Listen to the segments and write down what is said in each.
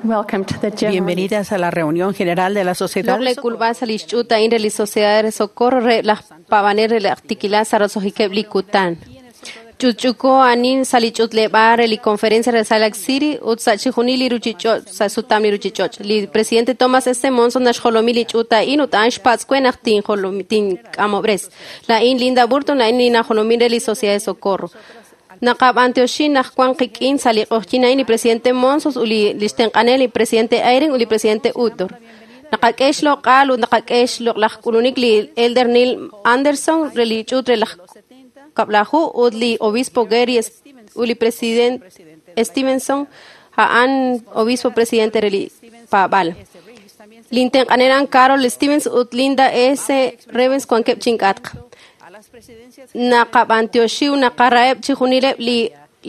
Welcome to the General Bienvenidas a la reunión general de la Sociedad. Loq'laj k'ulb'al sa' li xch'uut a'in re li Sociedad re Socorro re laj paab'anel re laj Tikilal sa' roso'jikeb' li kutan. Ch'utch'uko anin sa' li ch'utleb'aal re li Conferencia re Salt Lake City ut sa' chixjunil li ruchich'och' sa' sutam li ruchich'och'. Li presidente Thomas S. Monson naxjolomi li ch'uut a'in ut a'an xpatz' we naq tink'amob'res. La'in Linda Burton, la'in li najolomin re li Sociedad de Socorro. Naqab'antioxin naq wan qik'in sa' li q'oqyin a'in li presidente Monson ut li xtenq'anel li presidente Eyring ut li presidente Uchtdorf. Naqak'e xloq'al ut naqak'e xloq'laj k'ulunik li Elder Neil Anderson re li ch'uut re laj Kab'laju ut li obispo Gary ut li president Stevenson a'an obispo presidente re li paab'al. Lintenq'anel a'an Carol Stevens ut Linda S. Revens wankeb' chink'atq. Naqab'antioxi ut naqaraheb' chixjunileb' li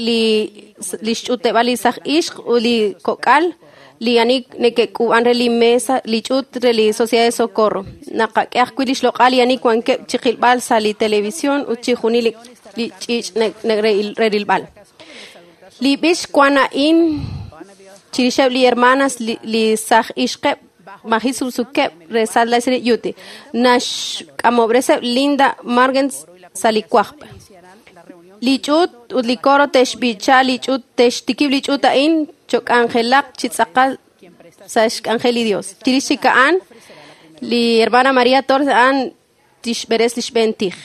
li xch'utleb'al li saj ixq ut li kok'al li ani neke'k'uub'an re li mesa li ch'uut re li Sociedad de Socorro. Naqak'e ajwi' li xloq'al li ani wankeb' chiqilb'al sa' li televisión ut chixjunil li ch'iich' re rilb'al. Li b'ich wan a'in chirixeb' li hermanas li saj ixqeb' maji subsukeb' re Salt Lake City, Utah. Naxk'amob'reseb' Linda Margens sa' li wajb'. Li ch'uut ut li coro te'xb'icha li ch'uut te'xtikib' li ch'uut a'in chok'anjelaq chi tz'aqal sa' xk'anjel li Dios. Chirix chik a'an, li hermana María Torres a'an tixb'eres li xb'een tij.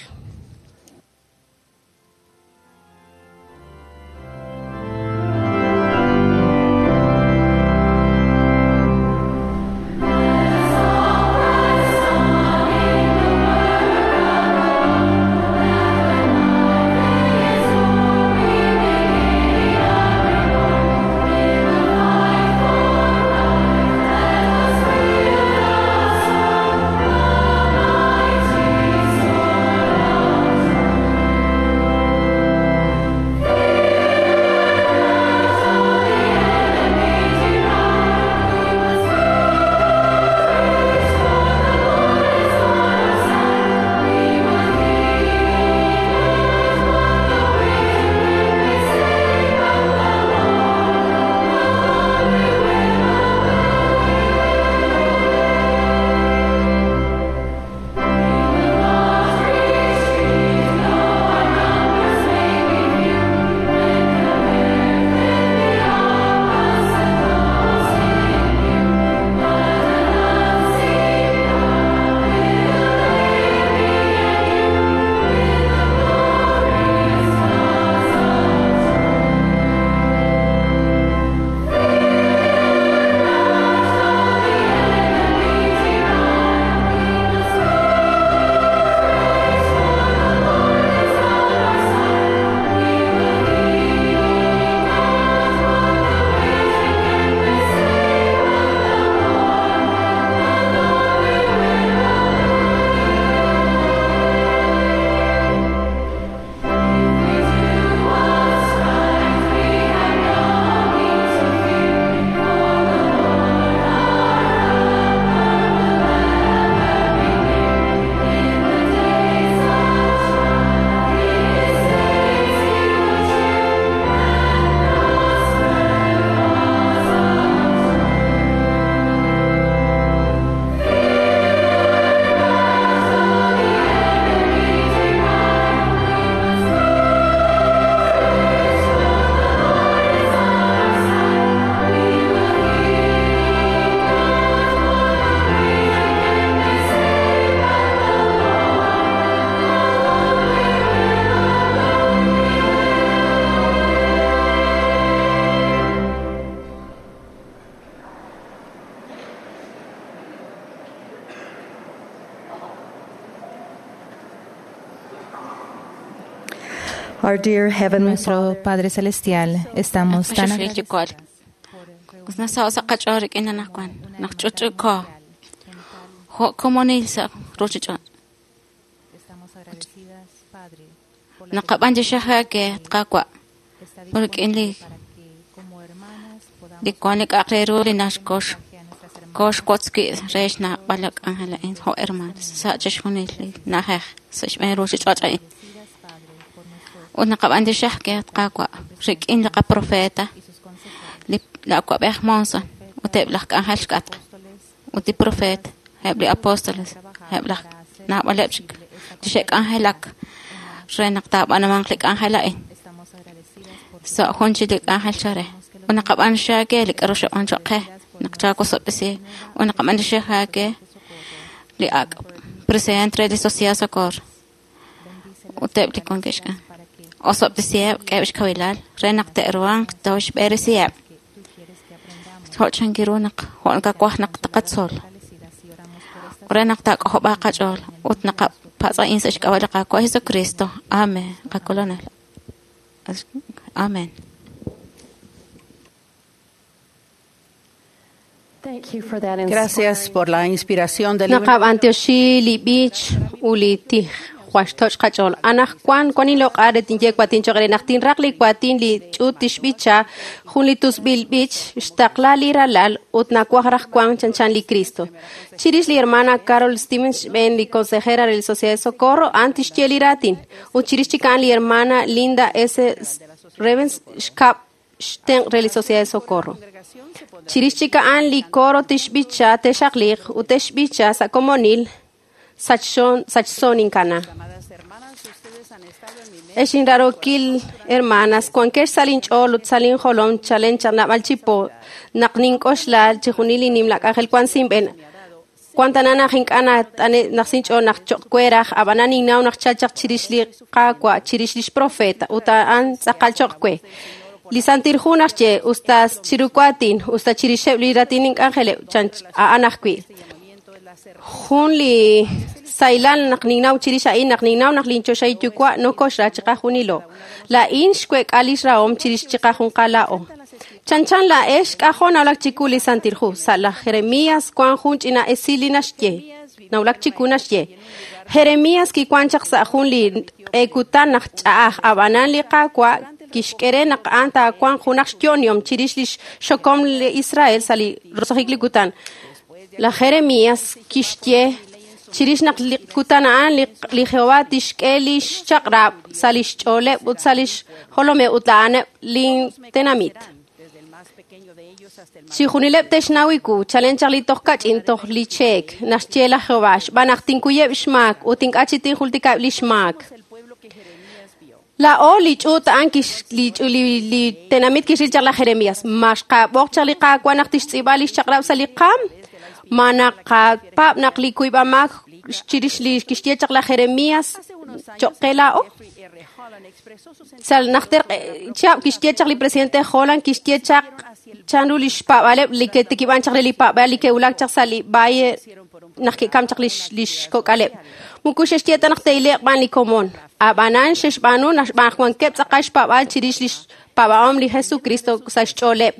Our dear Heavenly Nuestro Padre Celestial, estamos tan agradecidos. Estamos agradecidas, Padre, por la para que como hermanas podamos Ut naqab'an tixaj ke tqawa' rik'in li qaprofeta y sus consejos li la awab'ej Monson ut eb' laj k'anjel xk'atq, ut li profeet, eb' li apóstoles, eb' laj naab'aleb' chik li xe'k'anjelak re naq taab'anumanq li k'anjel a'in. Sa' jun chi li k'anjel chare. Ut naqab'antioxi aawe li k'a'ru xab'aan choq' qe, naq chaawosob'tesi. Ut naqab'antioxi aawe li ak' presidente re li Sociedad Socorro. Ut eb' li wankeb' xk'an. Osob'tesiheb' k'eheb' xkawilal re naq te'ruhanq tooxb'eresiheb'. Jo' chankiru naq jo' nakawaj naq taqatzol. Re naq taak'ojob'aaq qach'ool ut naqapatz' a'in sa' xk'ab'a' li Qaawa' Jesucristo. Amen. Qakolonel. Amen. Thank you for that Gracias por la inspiración del libro. Naqab'antioxi li b'ich u li tij jwaxtoch' qach'ool. Anajwan wan inloq'al re tinye kuatin choq' re naq tinraq li kuatin li ch'uut tixb'icha jun li tusb'il b'ich xtaqla li ralal ut nawaj raj wan chanchan li Cristo. Chirix li hermana Carol Stevens xb'een li consejera re li Sociedad de Socorro a'an tixye li raatin. Ut chirix chik a'an li hermana Linda S. Revens xkab' xtenq' re li Sociedad de Socorro. Chirix chik a'an li coro tixb'icha texaqliq ut texb'icha sa' komonil sachso ninkana. Ex inrarokil hermanas, wankex sa' linch'ool ut sa' linjolom chalen chaq naab'al chi po naq nink'oxla chijunil li nimla k'anjel wan sinb'en. Wan tana naq ink'a' nat'ane' naq sinch'ool naq choq' we raj, ab'anan ninnaw naq chal chaq chirix li Qaawa', chirix lix profeta, ut a'an tz'aqal choq' we. Li Santil Hu naxye, usta chiru kuatin, usta chirixeb' li ratin ink'anjeleb' chan a'an ajwi'. Jun li saylal naq ninnaw chirix a'in naq ninnaw naq linchoxahil yuwa' nokoxra chiqajunilo. Laa'in xwek'a lix rahom chirix chiqajunqal laa'o. Chanchan laa'ex k'ajo' nawulak chiku li Santil Hu. Sa' laj Jeremías wan jun ch'ina esil li naxye. Nawulak chiku naxye. Jeremías kiwan chaq sa' jun li q'ekutan naq ch'a'aj ab'anan li Qaawa' kixk'e re naq a'an taawanq junaq xyo'onihom chirix lix xokom li Israel sa' li roso'jik li kutan. Laj Jeremías kixye chirix naq li kutan a'an li Jehová tixk'e lix chaq'rab' sa' lix ch'ooleb' ut sa' lix jolomeb' ut a'aneb' lin tenamit. Chijunileb' te'xnaw iku, chalen chaq li toj kach'in toj li cheek, naxye laj Jehová, xb'aan naq tinkuyeb' xmaak ut ink'a' chi tinjultikab' li xmaak. Laa'o li ch'uut a'an li tenamit kixril chaq laj Jeremías. Ma xqab'oq chaq li Qaawa' naq tixtz'iib'a lix chaq'rab' sa' li qaam? Ma naqapaab' naq li kuyb'amaak chirix li kixye chaq laj Jeremías choq' qe laa'o? Sa' najter chihab' kixye chaq li presidente Holland kixye chaq chanru li xpaab'aleb' li ke'tikib'an chaq re li paab'al li ke'wulak chaq sa' li valle naq ke'kam chaq lix kok'aleb'. Muku xexye ta naq te'ile'q b'an li komon. Ab'anan xexb'aanu naq xb'aan wankeb' tz'aqal xpaab'al chirix lix paab'ahom li Jesucristo sa' xch'ooleb'.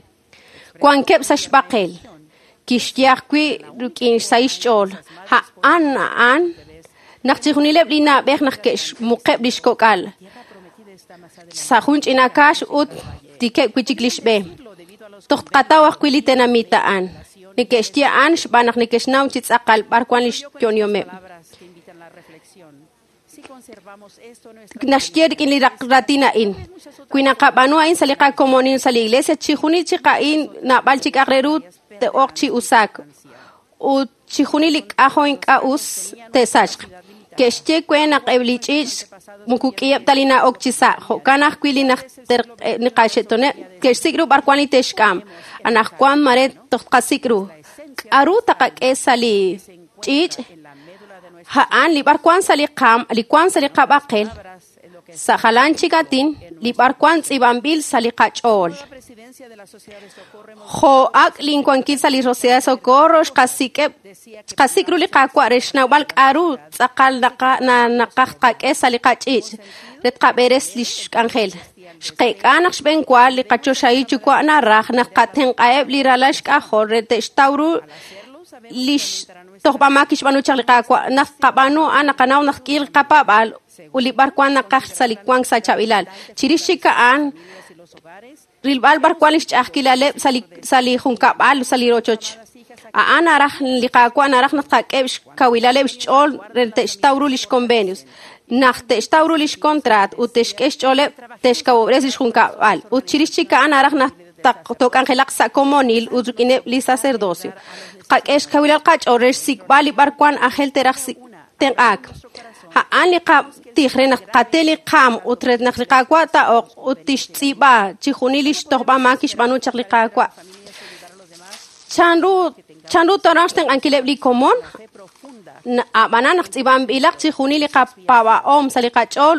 Wankeb' sa' xb'aqel. Kixye ajwi' rik'in xsahil xch'ool. A'an a'an naq chijunileb' li na'b'ej naq ke'xmuqeb' lix kok'al. Sa' jun ch'ina kaax ut tikeb' wi' chik lix b'e. Toj tqataw ajwi' li tenamit a'an. Neke'xye a'an xb'aan naq neke'xnaw chi tz'aqal b'ar wan lix yo'onihomeb'. Naxye rik'in li ratin a'in. Wi naqab'aanu a'in sa' li qakomonil sa' li iglesia, chijunil chik a'in naab'al chik aj re ru te'oq chi usaak. Ut chijunil li k'ajo ink'a' us te'sachq. Ke'xye we naq eb' li ch'iich' muku k'iheb' ta li na'ok chi sa'. Jo'kan ajwi' li najter qaxe'tooneb' ke'xsik' ru b'ar wan li te'xk'am. Anajwan mare toj tqasik' ru. K'aru taqak'e sa' li ch'iich'? A'an li b'ar wan sa' li qaam, li wan sa' li qab'aqel. Sa' jalan chik atin, li b'ar wan tz'iib'anb'il sa' li qach'ool. Jo' ak' linwankil sa' li Sociedad de Socorro xqasik' ru li Qaawa' re xnawb'al k'aru tz'aqal naqaj tqak'e sa' li qach'iich' re tqab'eres lix k'anjel. Xqek'a naq xb'eenwa li qachoxahil yuwa' naraj naq qatenq'aheb' li ralal xk'ajol re te'xtaw ru lix tojb'amaak kixb'aanu chaq li Qaawa' naq qab'aanu a'an naqanaw naq k'iil qapaab'al ut li b'ar wan naqaj sa' li wank sa' chaab'ilal. Chirix chik a'an rilb'al b'ar wan lix ch'a'ajkilaleb' sa' li junkab'al sa' li rochoch. A'an naraj li Qaawa' naraj naq tqak'eb' xkawilaleb' xch'ool re te'xtaw ru lix convenios. Naq te'xtaw ru lix contrat ut te'xk'e xch'ooleb' te'xkawob'res lix junkab'al. Ut chirix chik a'an naraj naq took'anjelaq sa' komonil ut rik'ineb' li sacerdocio. Qak'e xkawilal qach'ool re xsik'b'al li b'arwan ajel teraj tenq'aak. A'an li qatij re naq qate li qaam ut re naq li Qaawa' taa'oq ut tixtz'iib'a chixjunil li xtojb'a maak kixb'aanu chaq li Qaawa'. Chanru tooruuq xtenq'ankileb' li komon? Ab'anan naq tz'iib'anb'ilaq chixjunil li qapaab'ahom sa' li qach'ool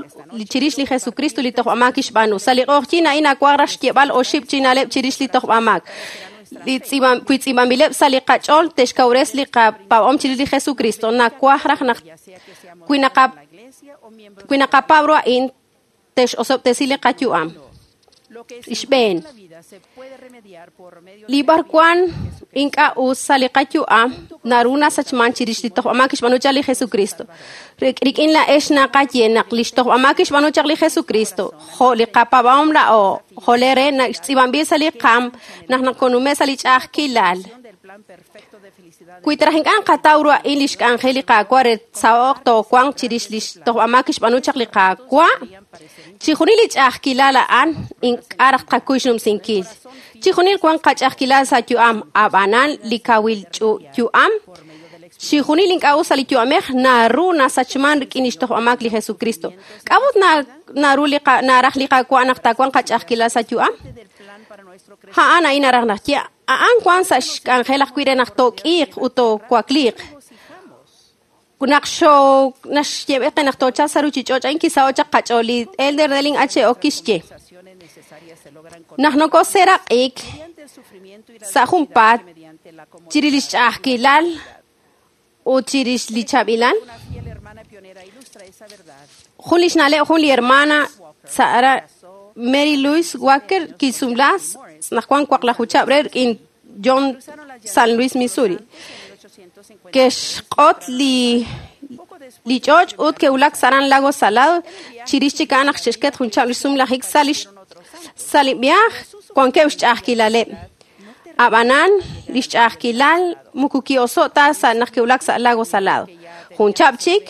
chirix li Jesucristo li tojb'amaak kixb'aanu. Sa' li q'oqyink a'in nawaj raj xyeeb'al oxib' chi na'leb' chirix li tojb'amaak. Wi tz'iib'anb'ileb' sa' li qach'ool te'xkawres li qapaab'ahom chirix li Jesucristo. Nawaj raj naq wi naqapaab' ru a'in te'x'osob'tesi li qayu'am. Xb'een, li b'arwan ink'a' us sa' li qayu'am naru nasachman chirix li tojb'amaak kixb'aanu chaq li Jesucristo. Rik'in laa'ex naqaye naq li xtojb'amaak kixb'aanu chaq li Jesucristo, jo' li qapaab'ahom laa'o, jo' le re tz'iib'anb'il sa' li qaam naq nakonume' sa' li ch'a'ajkilal. Wi taraj ink'a' naqataw ru a'in li xk'anjel li Qaawa' re saho'q toowanq chirix li xtojb'amaak kixb'aanu chaq li Qaawa', chixjunil li ch'a'ajkilal a'an ink'a' raj tqakuy xnumsinkil. Chixjunil wan qach'a'ajkilal sa' yu'am, ab'anan li kawil yu'am, chixjunil ink'a' us sa' li yu'amej naru nasachman rik'in li xtojb'amaak li Jesucristo. K'a'ut naru naraj li Qaawa' naq taawanq qach'a'ajkilal sa' yu'am? A'an a'in naraj naq ye a'an wan sa' xk'anjel ajwi' re naq took'iiq ut toowakliiq. Naq naxyeeb'e qe naq toochalq sa' ruchich'och' a'in kisaho' chaq qach'ool li Elder Deling H.O. kixye. Naq nokoseeraq'ik sa' junpaat chirix li xch'a'ajkilal ut chirix li chaab'ilal, jun li xna'leb' jun li hermana Sara Mary Louise Walker kisumla naq wan waqlaju chab' re rik'in John San Luis, Missouri. Ke'xq'ot li ch'och' ut ke'wulak saran Lago Salado chirix chik a'an naq xe'xket jun chab' li xsumlajik sa' li viaaj wankeb' xch'a'ajkilaleb'. Ab'anan li xch'a'ajkilal moko ki'oso' ta sa' naq ke'wulak sa' Lago Salado. Jun chab' chik,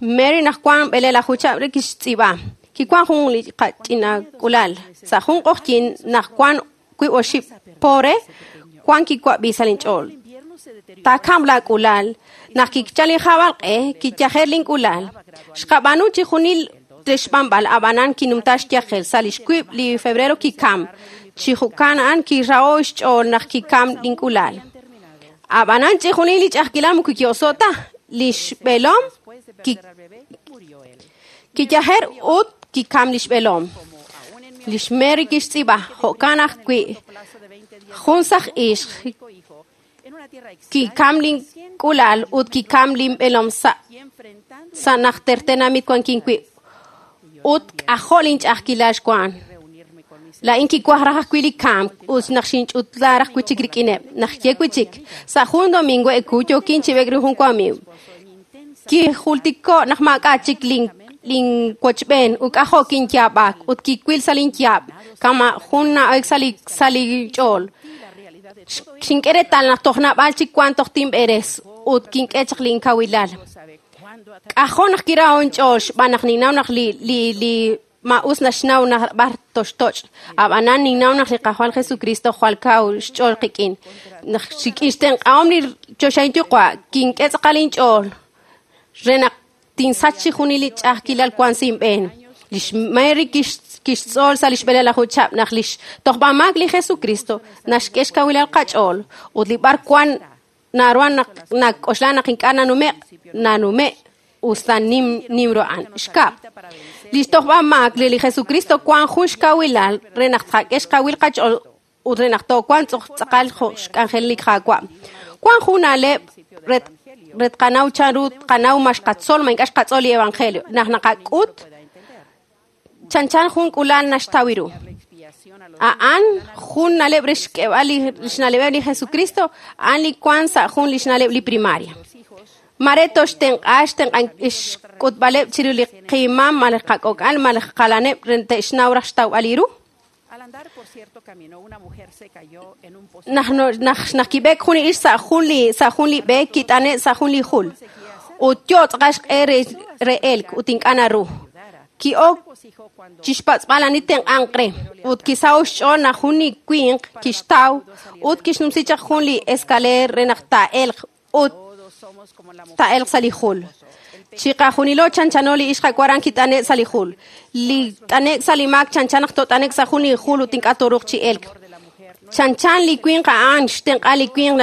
Mary naq wan b'eleelaju chab' re kixtz'iib'a. Kiwan jun li qach'inak'ulal. Sa' jun q'oqyink naq wan wiib' oxib' pobre, wan kiwab'i sa' linch'ool. Taakam laak'ulal. Naq kichal li jab'alq'e, kiyajer link'ulal. Xqab'aanu chixjunil re xb'anb'al, ab'anan kinumta xyajel. Sa' li xwiib' li febrero kikam. Chi jo'kan a'an kiraho' xch'ool naq kikam link'ulal. Ab'anan chixjunil li ch'a'ajkilal moko ki'oso' ta. Li xb'eelom kiyajer ut kikam li xb'eelom. Li xMary kixtz'iib'a jo'kan ajwi' jun saj ixq kikam link'ulal ut kikam linb'eelom sa' najter tenamit wankin wi' ut k'ajo' linch'a'ajkilal xwan. Laa'in kiwaj raj ajwi' li kamk ut naq xinch'utla raj wi' chik rik'ineb'. Naq ye wi' chik sa' jun domingo eku yookin chi b'eek rik'in jun wamiiw. Kijultiko' naq maak'a' chik linwochb'een ut k'ajo' kinyaab'ak ut kiwil sa' linyaab' kama' jun na'ek sa' li ch'ool. Xink'e reetal naq toj naab'al chik wan toj tinb'eres ut kink'e chaq linkawilal. K'ajo' naq kiraho' inch'ool xb'aan naq ninnaw naq li maa'us naxnaw naq b'ar toxtoch'. Ab'anan ninnaw naq li Qajwal Jesucristo jwal kaw xch'ool qik'in. Naq xik'in xtenq'ahom li choxahil Yuwa' kink'e tz'aqal inch'ool re naq tinsach chixjunil li ch'a'ajkilal wan sa' inb'een. Li xMary kixtz'ool sa' li xb'eleelaju chab' naq li xtojb'amaak li Jesucristo naxk'e xkawilal qach'ool ut li b'ar wan naruhan naq nak'oxla naq ink'a' nanume' nanume' usta nim ru a'an. Xkab', li xtojb'amaak li Jesucristo wan jun xkawilal re naq tqak'e xkawil qach'ool ut re naq toowanq tz'aqal jo' xk'anjel li Qaawa'. Wan jun na'leb' re tqanaw chanru tqanaw ma xqatzol ma ink'a' xqatzol li evangelio. Naq naqak'ut chanchan jun k'ulal naxtaw ru. A'an jun na'leb' re xk'eb'al li xna'leb'eb' li Jesucristo, a'an li wan sa' jun li xna'leb' li primaria. Mare toxtenq'a xk'utb'aleb' chiru li qimam malaj qak'ok'al malaj qalaneb' re te'xnaw raj xtawb'al li ru. Naq kib'eek jun li ix sa' jun li b'e kit'ane' sa' jun li jul. Ut yo tz'aqal xq'e re elk ut ink'a' naru. Ki'ok chixpatz'b'al ani tenq'anq re ut kisaho' xch'ool naq jun li winq kixtaw ut kixnumsi chaq jun li escaleer re naq taa'elq ut taa'elq sa' li jul. Chiqajunilo chanchano li ixq waran kit'ane' sa' li jul. Li t'anek' sa' li maak chanchan naq tot'anek' sa' jun li jul ut ink'a' toruuq chi elk. Chanchan li winq a'an xtenq'a li winq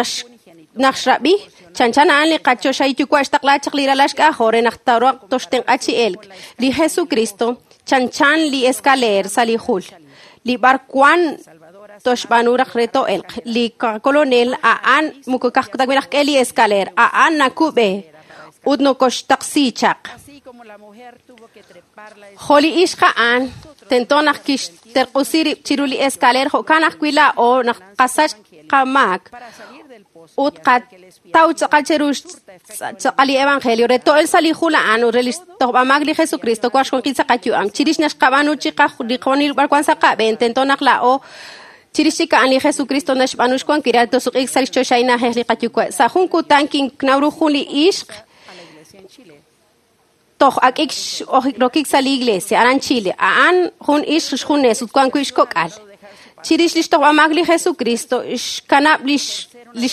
naq xrab'i. Chanchan a'an li qachoxahil yuwa' xtaqla chaq li ralal xk'ajol re naq taruuq toxtenq'a chi elk. Li Jesucristo chanchan li escaleer sa' li jul. Li b'arwan toxb'aanu raj re to'elq. Li qakolonel a'an moko ka'ajwi' naq k'e li escaleer a'an nakub'e ut nokoxtaqsi chaq. Jo' li ixq a'an tento naq kixterq'usi rib' chiru li escaleer jo'kan ajwi' laa'o naq qasach qamaak ut qataw tz'aqal cheru tz'aqal li evangelio re to'el sa' li jul a'an ut re li xtojb'amaak li Jesucristo wank xwankil sa' qayu'am. Chirix naq xqab'aanu li qonil b'arwan sa' qab'een tento naq laa'o chirix chik a'an li Jesucristo naxb'aanu xwankil re tosuq'iik sa' li xchoxahil na'ajej li qayuwa'. Sa' jun kutan kinnaw ru jun li ixq toj ak'ik rokik sa' li iglesia aran Chile. A'an jun ixq xjunes ut wan wi' xkok'al. Chirix li xtojb'amaak li Jesucristo xkanab' li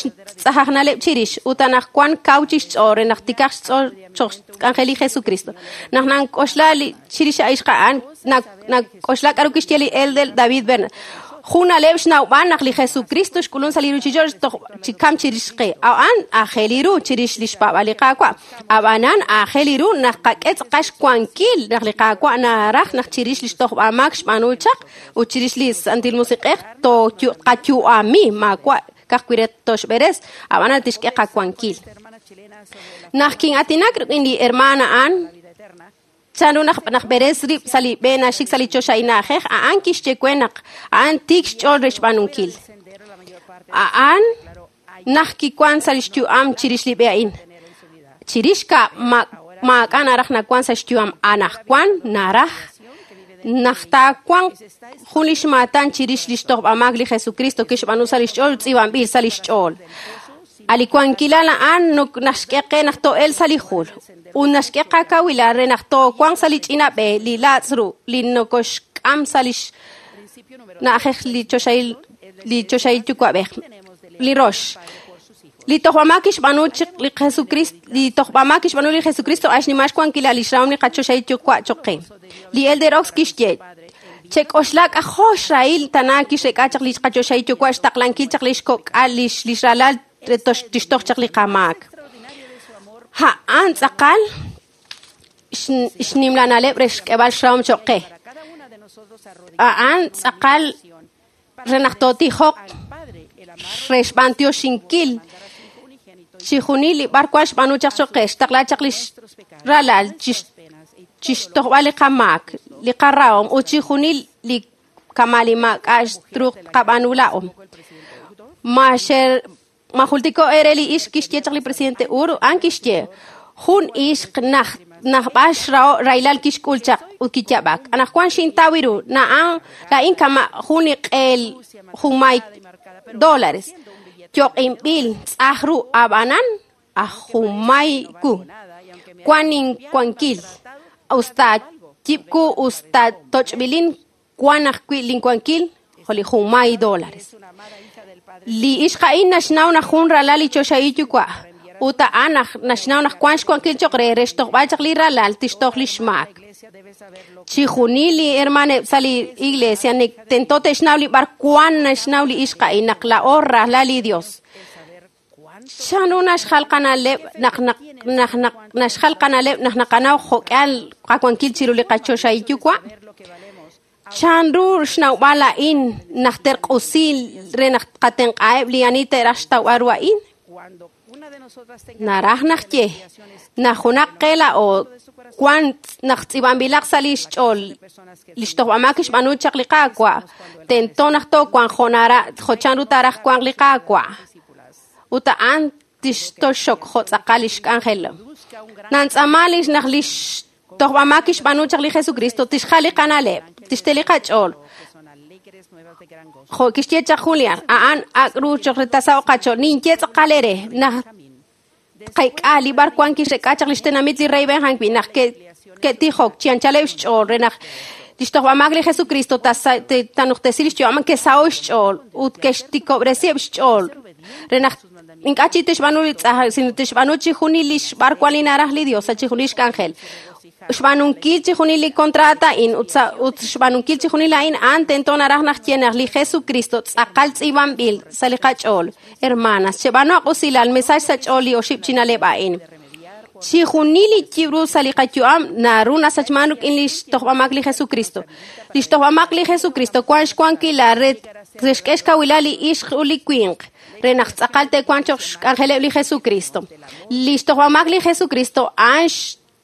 xtz'ajajnaleb' chirix ut anaqwan kaw chixch'ool re naq tikaj xch'ool cho'q xk'anjel li Jesucristo. Naq nank'oxla chirix ixq a'an nak'oxla k'aru kixye li elder David Bernard. Jun na'leb' xnawb'al naq li Jesucristo xk'ulun sa' li ruuchich'och' toj chikam chirix qe. A'an aajel ru chirix li xpaab'al li Qaawa'. Ab'anan aajel ru naq qak'e tz'aqal xwankil naq li Qaawa' naraj naq chirix li xtojb'amaak xb'aanu chaq ut chirix li Santil Musiq'ej toqayu'ami maawa' ka'ajwi' re toxb'eres ab'anan tixk'e qawankil. Naq kin'aatinak rik'in li hermana a'an chanru naq b'eres rib' sa' li b'e naxik sa' li choxahil na'ajej a'an kixye we naq a'an tiik xch'ool re xb'aanunkil. A'an naq kiwan sa' li xyu'am chirix li b'e a'in. Chirix ka maak'a' naraj nawan sa' xyu'am anaqwan naraj naq taawanq jun li xmaatan chirix li xtojb'amaak li Jesucristo kixb'aanu sa' li xch'ool tz'iib'anb'il sa' li xch'ool. A li wankilal a'an naxk'e qe naq to'el sa' li jul ut naxk'e qakawilal re naq toowanq sa' li ch'ina b'e li laatz' ru li nokoxk'am sa' li na'ajej li choxahil yuwa'b'ej. Li rox li tojb'amaak kixb'aanu li Jesucristo li tojb'amaak kixb'aanu li Jesucristo a'an xnimal xwankilal li xrahom li qachoxahil yuwa' cho'q qe. Li elder Oaks kixye chek'oxla k'ajo' xrahil tana kixrek'a chaq li qachoxahil yuwa' xtaqlankil chaq li xkok'al li xralal re tixtoj chaq li qamaak. A'an tz'aqal xnimla na'leb' re xk'eb'al xrahom cho'q qe. A'an tz'aqal re naq tootijoq re xb'antioxinkil chijunil li b'arwan xb'aanu chaq cho'q qe xtaqla chaq li ralal chixtojb'al li qamaak li qarahom ut chijunil li kama' li maak'a' xtruuq qab'aanu laa'o. Ma jultiko ere li ixq kixye chaq li presidente Uru a'an kixye jun ixq naq b'ax rahilal kixk'ul chaq ut kiyab'ak. Anaqwan xintaw ru na'an la'in kama' jun li q'eel junmay dólares yoq'inb'il tz'aj ru ab'anan aj junmay ku. Wan inwankil usta yib'ku usta toch'b'ilin wan ajwi' linwankil jo' li junmay dólares. Li ixq a'in naxnaw naq jun ralal li choxahil yuwa' ut a'an naxnaw naq wan xwankil cho'q re re xtojb'al chaq li ralal tixtoj li xmaak. Chijunil li hermaneb' sa' li iglesia tento te'xnaw li b'arwan naxnaw li ixq a'in naq laa'o ralal li Dios. Chanru naxjal qana'leb' naq naxjal qana'leb' naq naqanaw jo'k'ihal qawankil chiru li qachoxahil yuwa'? Chanru xnawb'al a'in naq terq'usi re naq qatenq'aheb' li ani te'raj xtawb'al ru a'in? Naraj naq ye naq junaq qe laa'o wan naq tz'iib'anb'ilaq sa' li xch'ool li xtojb'amaak kixb'aanu chaq li Qaawa' tento naq toowanq jo' chanru taaraj wanq li Qaawa' ut a'an tixtoxok jo' tz'aqal li xk'anjel. Nantz'aama naq li xtojb'amaak kixb'aanu chaq li Jesucristo tixjal li qana'leb' tixte li qach'ool. Jo' kixye chaq Julian a'an ak' ru cho'q re tasaw qach'ool ninye tz'aqal ere naq qek'a li b'arwan kixrek'a chaq li xtenamit li rey Benjamin naq ke'tijok chi anchaleb' xch'ool re naq lix tojb'amaak li Jesucristo tanuqtesi lix yu'am ke'saho' xch'ool ut ke'xtikob'resiheb' xch'ool re naq ink'a' chi tixb'aanu li tz'aj sino tixb'aanu chijunil lix b'arwan li naraj li Dios sa' chijunil xk'anjel. Xb'aanunkil chijunil li contrato a'in ut xb'aanunkil chijunil a'in a'an tento naraj naq ye naq li Jesucristo tz'aqal tz'iib'anb'il sa' li qach'ool. Hermanas, cheb'aanu usilal mesach sa' ch'ool li oxib' chi na'leb' a'in. Chijunil li yib'ru sa' li qayu'am naru nasachman rik'in lix tojb'amaak li Jesucristo. Lix tojb'amaak li Jesucristo wan xwankilal re xk'e xkawilal li ixq ut li winq re naq tz'aqal te'wanq cho'q xk'anjeleb' li Jesucristo. Lix tojb'amaak li Jesucristo a'an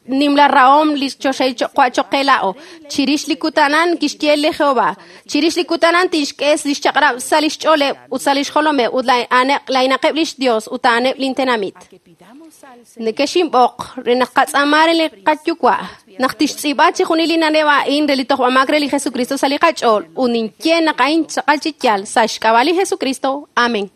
nimla rahom li choxahil choqe la'o. Chirix li kutanan kixye li Jehová. Chirix li kutanan tixk'e lix chaq'rab' sa' lix ch'ooleb' ut sa' lix jolomeb' ut laa'inaqeb' lix Dios ut a'aneb' lintenamit. Nekexinb'oq re naq qatz'aama re li qayuwa' naq tixtz'iib'a chijunil li na'leb' a'in re li tojb'amaak re li Jesucristo sa' li qach'ool ut ninye naq a'in tz'aqal chi yaal sa' xk'ab'a' li Jesucristo. Amén.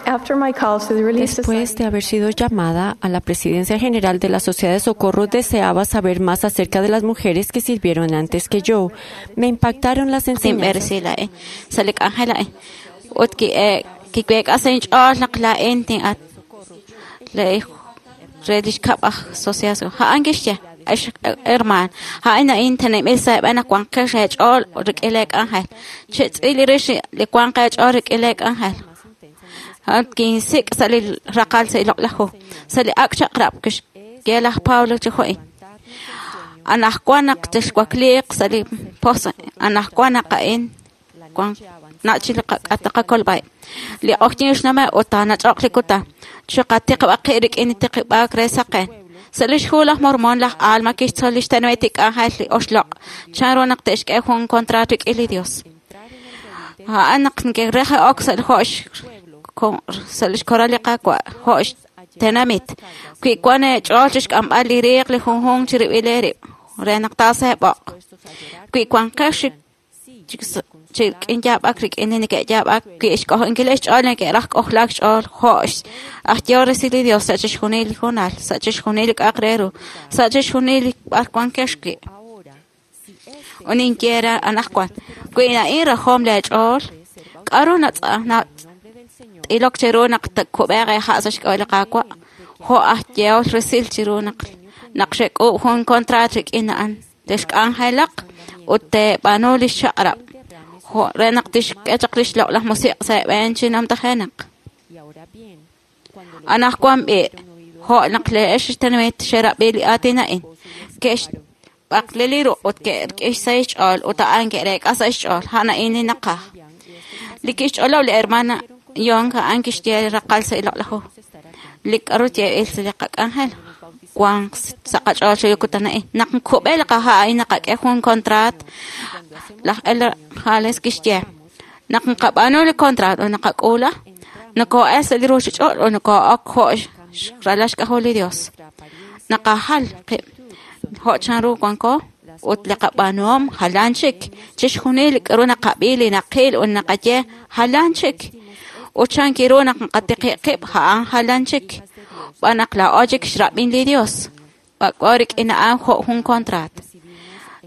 After my call to the Relief Después Society, de haber sido llamada a la presidencia general de la Sociedad de Socorro, deseaba saber más acerca de las mujeres que sirvieron antes que yo. Me impactaron las enseñanzas. Tinb'eresi laa'in sa' li k'anjel a'in ut kiweek'a sa' inch'ool naq laa'in tin'at le re lix kab' aj Sociedad Socorro. A'an kixye ex hermaan a'in a'in teneb'il sa' eeb'en naq wanqex eech'ool rik'in lee k'anjel chetz'il rix li wanq eech'ool rik'in lee k'anjel. A'an kinsik' sa' li raqal sa' li loq'laj hu sa' li ak' chaq'rab' kixye laj Pablo chi jo'in anajwan naq texwakliiq sa' li pos anajwan naq a'in wan nach' li qak'at qakolb'ai li q'oqyin xname ut taanach'oq li kutan chiqatiqb'aq qib' rik'in li tiqib'aak re saqen sa' lix hu laj Mormon laj Alma kixtzol lix tenamit li k'anjel li oxloq' chan ru naq te'xk'e jun contrato rik'in li Dios a'an naq neke'rej ok sa' li jo'x sa' lix koral li Qaawa' jo'x tenamit wi wan eech'ool chixk'amb'al li riiq li junjunq chirib'il eerib' re naq taaseeb'oq wi wanqex chi rik'in yaab'ak rik'in li neke'yaab'ak wi xk'ojlankil xch'ool neke'raj k'ojlaak xch'ool jo'x aj yehol resil li Dios sa' chixjunil li hoonal sa' chixjunil li k'a'aq re ru sa' chixjunil li b'ar wankex wi' ut ninye re anaqwan wi a'in rajom leech'ool k'aru nat'ilok cheru naq tkub'eeq eeha' sa' xk'ab'a' li Qaawa' jo' aj yehol resil chiru naq xek'uub' jun contrato rik'in a'an texk'anjelaq ut teeb'aanu lix chaq'rab' jo' re naq tixk'e chaq lix loq'laj musiq' sa' eeb'een chi namtajenaq. Anaqwan b'i' jo' naq le'ex xtenamit xerab'i li aatin a'in ke'xb'aqli li ruq' ut ke'rik'in sa' xch'ool ut a'an ke'reek'a sa' xch'ool a'an a'in li naqaj. Li kixch'olob' li hermana Young a'an kixye raqal sa' li loq'laj hu li k'aru yeeb'il sa' li qak'anjel wanq sa' qach'ool chi kutan a'in naq nkub'e li qaha' a'in naqak'e jun contrato laj Elder Hales kixye naq nqab'aanu li contrato ut naqak'uula nokoo'el sa' li ruuchich'och' ut nokoo'ok jo' ralal xk'ajol li Dios naqajal qib' jo' chanru wanko ut li qab'aanuhom jalan chik chixjunil li k'aru naqab'i li naqil ut naqaye jalan chik ut chan kiru naq nqatiqi' qib' a'an jalan chik b'an naq laa'o chik xrab'in li Dios b'ak'o rik'in a'an jo' jun contrato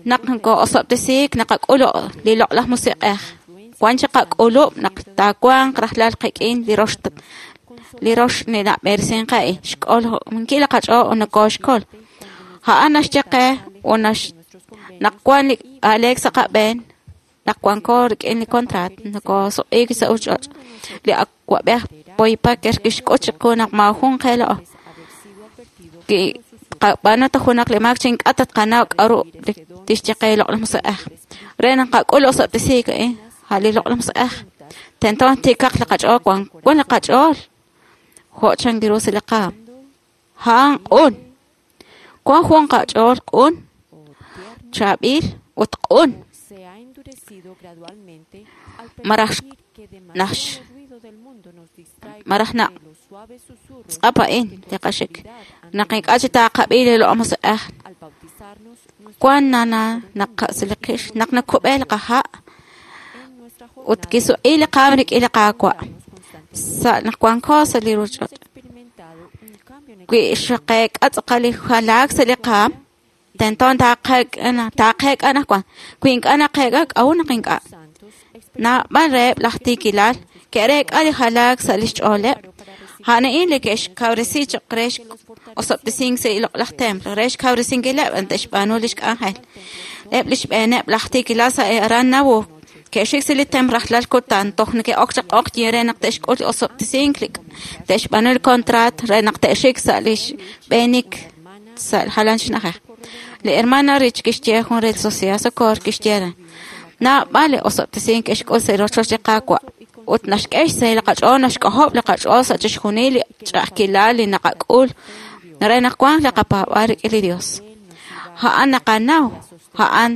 naq nokoo'osob'tesiik naqak'ul li loq'laj musiq'ej wan chi qak'ulub' naq taawanq rajlal qik'in li rox li nab'eresin qe xk'olnkil li qach'ool ut nokooxkol a'an naxye qe ut naq wan li aleek sa' qab'een naq wanko rik'in li contrato nokoosuq'iik sa' ruuchich'och' li awa'b'ej Boyd Packer kixk'ut chiqu naq maajun qe laa'o tqab'aanu ta junaq li maak chi ink'a' tatqanaw k'aru tixye qe li loq'laj musiq'ej re naq qak'ul osob'tesiik a'in a' li loq'laj musiq'ej tento tiikaq li qach'ool wan li qach'ool jo' chan ru sa' li qaam a'an q'un wan jun qach'ool q'un chaab'il ut q'un maraj maraj naq tz'ap a'in li qaxik naq ink'a' chi taaqab'i li loq'laj musiq'ej wan nana naq sa' li qix naq nakub'e li qaha' ut kisuq'i li qaam rik'in li Qaawa' sa' naq wanko sa' li ruuchich'och' wi xqeek'a tz'aqal li jalaak sa' li qaam tento taaqeek'a anaqwan wi ink'a' naqeek'a k'a'ut naq ink'a' naab'al reheb' laj tiikilal ke'reek'a li jalaak sa' lix ch'ooleb' a'an a'in li ke'xkawresi choq' re osob'tesink sa' li loq'laj templo re xkawresinkileb' te'xb'aanu lix k'anjel eb' lix b'eeneb' laj tiikilal sa' aran Nauvoo ke'xik sa' li templo rajlal kutan toj neke'ok chaq q'oqyin re naq te'xk'ul li osob'tesink li te'xb'aanu li contrato re naq te'xik sa' lix b'eenik sa' jalan chi na'ajej li hermana Rich kixye jun re li Sociedad Socorro kixye re naab'al li osob'tesink ke'xk'ul sa' rochoch li Qaawa' ut naxk'e xsahil li qach'ool naxk'ojob' li qach'ool sa' chixjunil li ch'a'ajkilal li naqak'ul re naq wanq li qapaab'aal rik'in li Dios a'an naqanaw a'an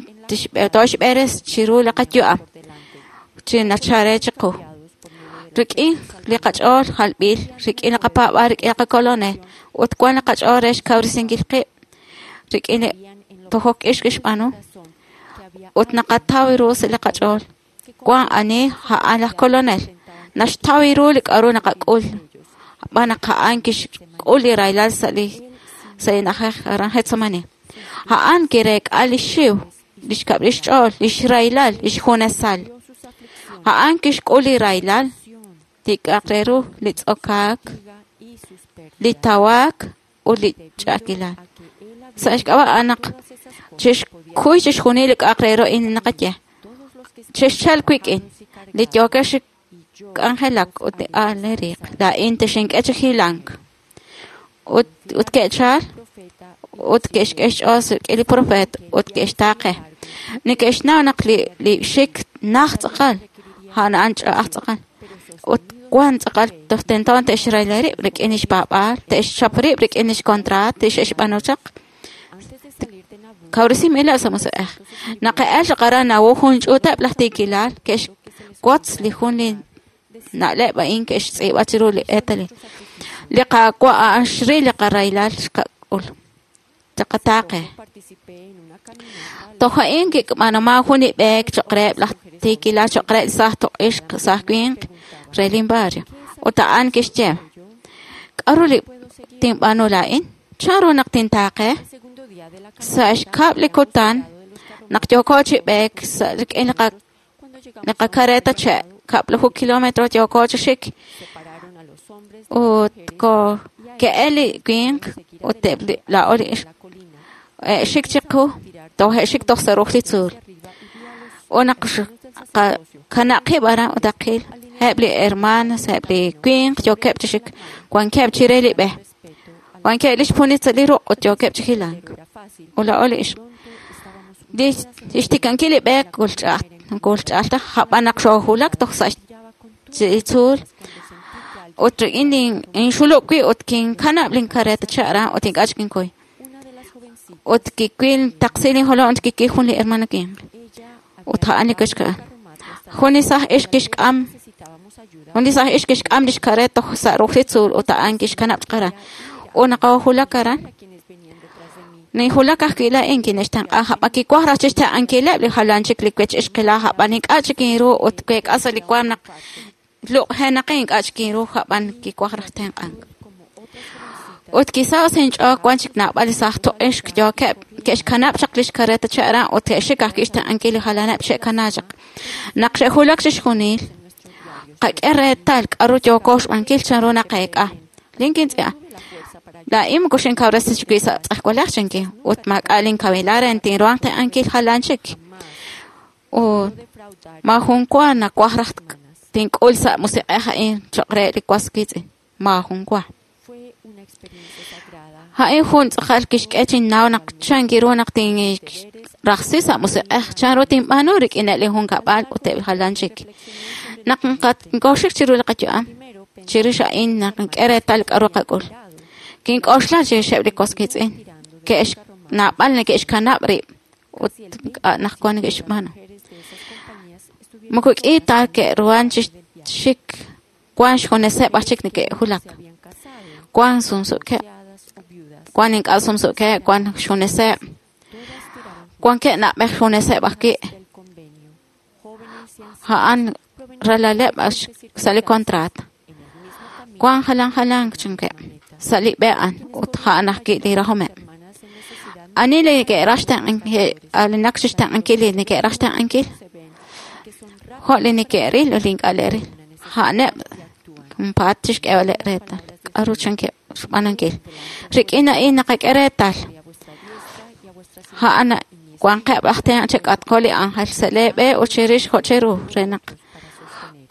tooxb'eres chiru li qayu'am chi nachare chiqu rik'in li qach'ool jalb'il rik'in li qapaab'aal rik'in li qakolonel ut wan li qach'ool re xkawresinkil qib' rik'in li tojok ix kixb'aanu ut naqataw ru sa' li qach'ool wan ani a'an laj kolonel Naxtaw ru li k'a'ru naqak'ul. Xb'aan naq a'an kixk'ul li rahilal sa' li na'ajej aran Getsemani. A'an kireek'a li xiw, lix kab'lil xch'ool, lix rahilal, lix junesal. A'an kixk'ul li rahilal, li k'a'aq re ru, li tz'okaak, li tawaak ut li ch'a'ajkilal. Sa' xk'ab'a' a'an naq chixkuy chixjunil li k'a'aq re ru a'in naqaye. Chexchalq wik'in, li yookex chi k'anjelak ut li aal li riiq. Laa'in texink'e chi hilank. Ut ke'chal ut ke'xk'e xch'ool rik'in li profeet ut ke'xtaaqe. Neke'xnaw naq li xik naj tz'aqal, a'an a'an ch'a'aj tz'aqal. Ut wan tz'aqal toj tento te'xrayla rib' rik'in lix paab'aal, te'xchap rib' rik'in lix kontraat, te'xb'aanu chaq. Kawresinb'ileb' sa' musiq'ej. Naq ke'el chaq aran Nauvoo jun ch'uuteb' laj tiikilal ke'xwotz li jun li na'leb' a'in ke'xtz'iib'a chiru li eetalil. Li Qaawa' a'an xril li qarahilal xqak'ul. Chaqataaqe. Toj a'in kik'b'anuman jun li b'eek cho'q reheb' laj tiikilal cho'q reheb' li saaj tuq'ixq saaj winq re lin barrio. Ut a'an kixye, k'a'ru li tinb'aanu laa'in? Chan ru naq tintaaqe? Sa' xkab' li kutan naq yooko chi b'eek sa' rik'in li qakareta che' kab'laju kilómetro yooko chi xik ut ko ke'el li winq ut eb' li laa'o li ixq xik chiqu toj xik toj sa' ruj li tzuul. Ut naq kanaqib' aran ut aqil eb' li hermanas eb' li winq yookeb' chi xik wankeb' chire li b'e. Wankeb' lix punit sa' li ruq' ut yookeb' chi hilank. Ut laa'o li ixq. Li xtikankil li b'e kulch'a'aj taj jab'an naq xoohulak toj sa' li tzuul. Ut rik'in inxulub' wi' ut kinkanab' linkareta che' aran ut ink'a' chik kinkuy. Ut kiwil taqsi linjolom ut kikil jun li hermano winq. Ut a'an li kixk'am. Jun li saaj ixq kixk'am jun li saaj ixq kixk'am lix kareta toj sa' ruj li tzuul ut a'an kixkanab' chaq aran. Ut naqoohulak aran. Ninhulak ajwi' laa'in kinextenq'a jab'an kiwaj raj chixtenq'ankileb' li jalan chik li wech ixqilaj jab'an ink'a' chik inru ut week'a sa' li waam naq luq'jenaqin ink'a' chik inru jab'an kiwaj raj tenq'ank. Ut kisaho' sa' inch'ool wan chik naab'al li saaj tuq'ixq yookeb' ke'xkanab' chaq lix kareta che' aran ut ke'xik ajwi' xtenq'ankil li jalaneb' xe'kana chaq. Naq xe'hulak chixjunil, qak'e reetal k'a'ru yooko xb'aankil chan ru naqeek'a. Lin kintz'i'a. Laa'in moko xinkawresi chik wi' sa' tz'ejwalej chanki ut maak'a' linkawilal re tinruhanq tenq'ankil jalan chik. Ut maajun wa nawaj raj tink'ul sa' musiq'ej a'in cho'q re li was wiitz'in. Maajun wa. A'in jun tz'aqal kixk'e chinnaw naq chan kiru naq tinrajsi sa' musiq'ej chan ru tinb'aanu rik'ineb' li junkab'al ut eb' jalan chik. Naq nkooxik chiru li qayu'am, chirix a'in naq nk'e reetal k'a'ru qak'ul. Kink'oxla chirixeb' li was wiitz'in ke'x naab'al neke'xkanab' rib' ut naq wan neke'xb'aanu. Moko k'i ta ke'ruhan chi xik wan xjuneseb' aj chik neke'hulak. Wan sumsukeb', wan ink'a' sumsukeb', wan xjuneseb', wan ke'nab'ej xjuneseb' ajwi'. A'an ralaleb' sa' li kontraat. Wan jalan jalan chankeb' sa' li b'e a'an ut a'an ajwi' li rajomeb'. Ani li neke'raj xtenq'ankil, alinak chixtenq'ankil li neke'raj xtenq'ankil, jo' li neke'ril ut li ink'a' le'ril. A'aneb' junpaat chixk'eeb'aleb' reetal k'a'ru chankeb' xb'aanunkil. Rik'in a'in naqak'e reetal. A'an wanqeb' aj tenq' chek'atq jo' li ángel sa' lee b'e ut chirix jo' cheru re naq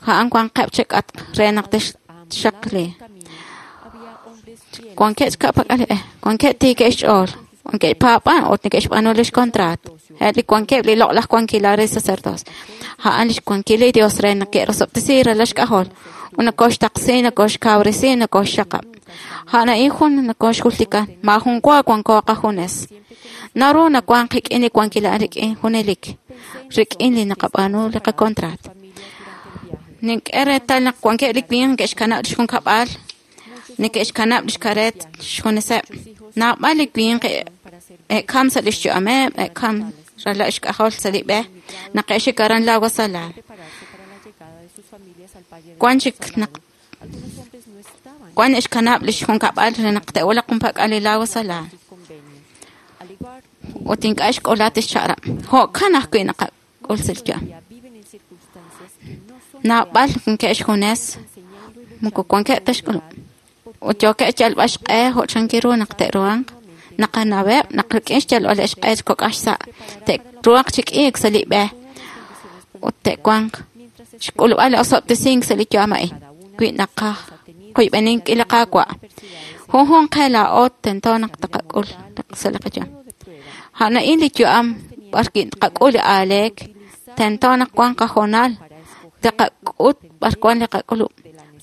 a'an wanqeb' chek'atq re naq texxaqli. Wankeb' xka'pak'al li b'e, wankeb' tiikeb' xch'ool, wankeb' paab'an ut neke'xb'aanu lix kontraat. Eb' li wankeb' li loq'laj wankilal re sacerdocio. A'an lix wankil li Dios re naq ke'rosob'tesi ralal xk'ajol. Ut nokoxtaqsi, nokoxkawresi, nokoxxaqab'. A'an a'in jun nokoxjultika, maajun wa wanko qajunes. Naru nawan qik'in li wankilal rik'in junelik, rik'in li naqab'aanu li qakontraat. Nink'e reetal naq wankeb' li winq neke'xkanab' lix junkab'al, neke'xkanab' lix kareet xjuneseb'. Naab'al li winq e'kam sa' lix yu'ameb', e'kam ralal xk'ajol sa' li b'e, naq ke'xik aran Lago Salado. Wan chik naq wan xkanab' li xjunkab'al re naq te'wulaq junpak'al li lago Salado. Ut ink'a' xk'ola tixchaq'rab'. Jo'kan ajwi' naqak'ul sa' li yu'am. Naab'al wankeb' xjunes moko wankeb' ta xk'ulub'. Ut yookeb' xyalb'al xq'e jo' chankiru naq te'ruhanq. Naqanaweb' naq rik'in xyalb'aleb' xq'e chi kok'aj xsa' te'ruhanq chi k'iik sa' li b'e ut te'wanq xk'ulub'al li osob'tesink sa' li yu'am a'in. Wi naqaj qoyb'eninkil li Qaawa'. Junjunq qe laa'o tento naq taqak'ul sa' li qayu'am. A'an a'in li yu'am b'ar wi' taqak'ul li aaleek, tento naq wanq qahoonal taqak'ut b'ar wan li qak'ulub'.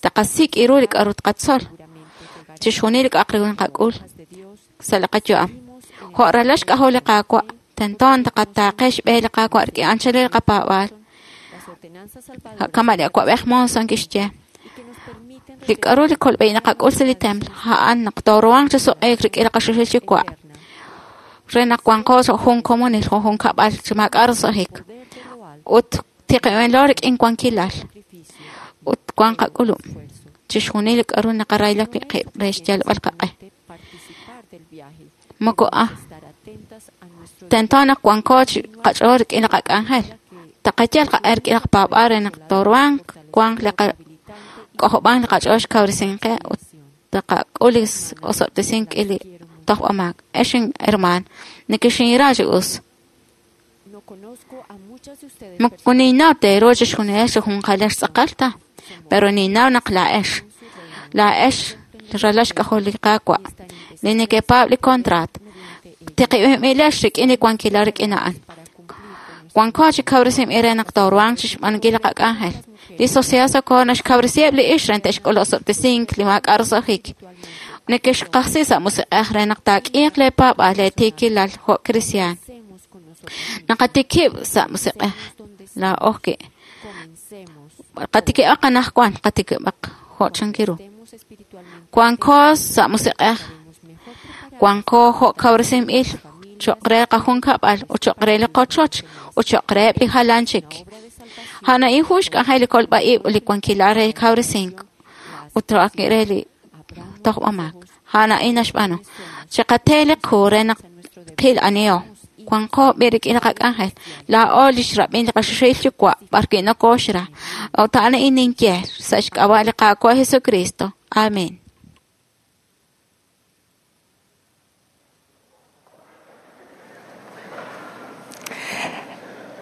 Taqasik' ru li k'a'ru taqatzol. Chixjunil li k'a'aq re ru naqak'ul sa' li qayu'am. Jo' ralal xk'ajol li Qaawa', tento taqataaqe xb'e li Qaawa' rik'in anchalil li qapaab'aal. Kama' li awa'b'ej Monson kixye. Li k'a'ru li kolb'ej naqak'ul sa' li templo, a'an naq tooruhanq chi suq'iik rik'in li qaxuxil yuwa'. Re naq wanqo sa' jun komonil, jun junkab'al chi maak'a' roso'jik. Ut tiqib'enlo rik'in wankilal. Ut wan qak'ulub'. Chixjunil li k'a'ru naqarayla wi' qib' re xyalb'al qaq'e. Moko tento naq wanko chi qach'ool rik'in li qak'anjel. Taqayal qaq'e rik'in li qapaab'aal re naq tooruhanq wanq li k'ojob'ank li qach'ool xkawresinqe ut taqak'ul li osob'tesink li tojb'amaak. Ex hermaan, nekexinra chi us. Moko ninnaw teeru chixjunilex chi junqalex tz'aqal ta, pero ninnaw naq laa'ex. Laa'ex ralal xk'ajol li Qaawa', li nekepaab' li contraat. Tiqib'inb'ilex rik'in li wankilal rik'in a'an. Wanko chi kawresinb'il re naq tooruhanq chixb'aanunkil li qak'anjel. Li Sociedad Socorro naxkawresiheb' li ixq re te'xk'ul osob'tesink li maak'a' roso'jik. Nekexqajsi sa' musiq'ej re naq taak'iiq lee paab'aal lee tiikilal jo' kristiaan. Naqatikib' sa' musiq'ej laa'o wi'. Qatikib'aq anaqwan, qatikib'aq jo' chankiru. Wanko sa' musiq'ej, wanko jo' kawresinb'il cho'q re qajunkab'al ut cho'q re li qochoch ut cho'q reheb' li jalan chik. A'an a'in jun xk'anjel li kolb'a'ib' ut li wankilal re kawresink ut re li tojb'amaak. A'an a'in naxb'aanu. Chiqate li qu re naq qil aniho. Wanko b'i rik'in li qak'anjel. Laa'o li xrab'in li qaxuxil yuwa' b'ar wi' nokooxra. Ut a'an a'in ninye sa' xk'ab'a' li Qaawa' Jesucristo. Amén.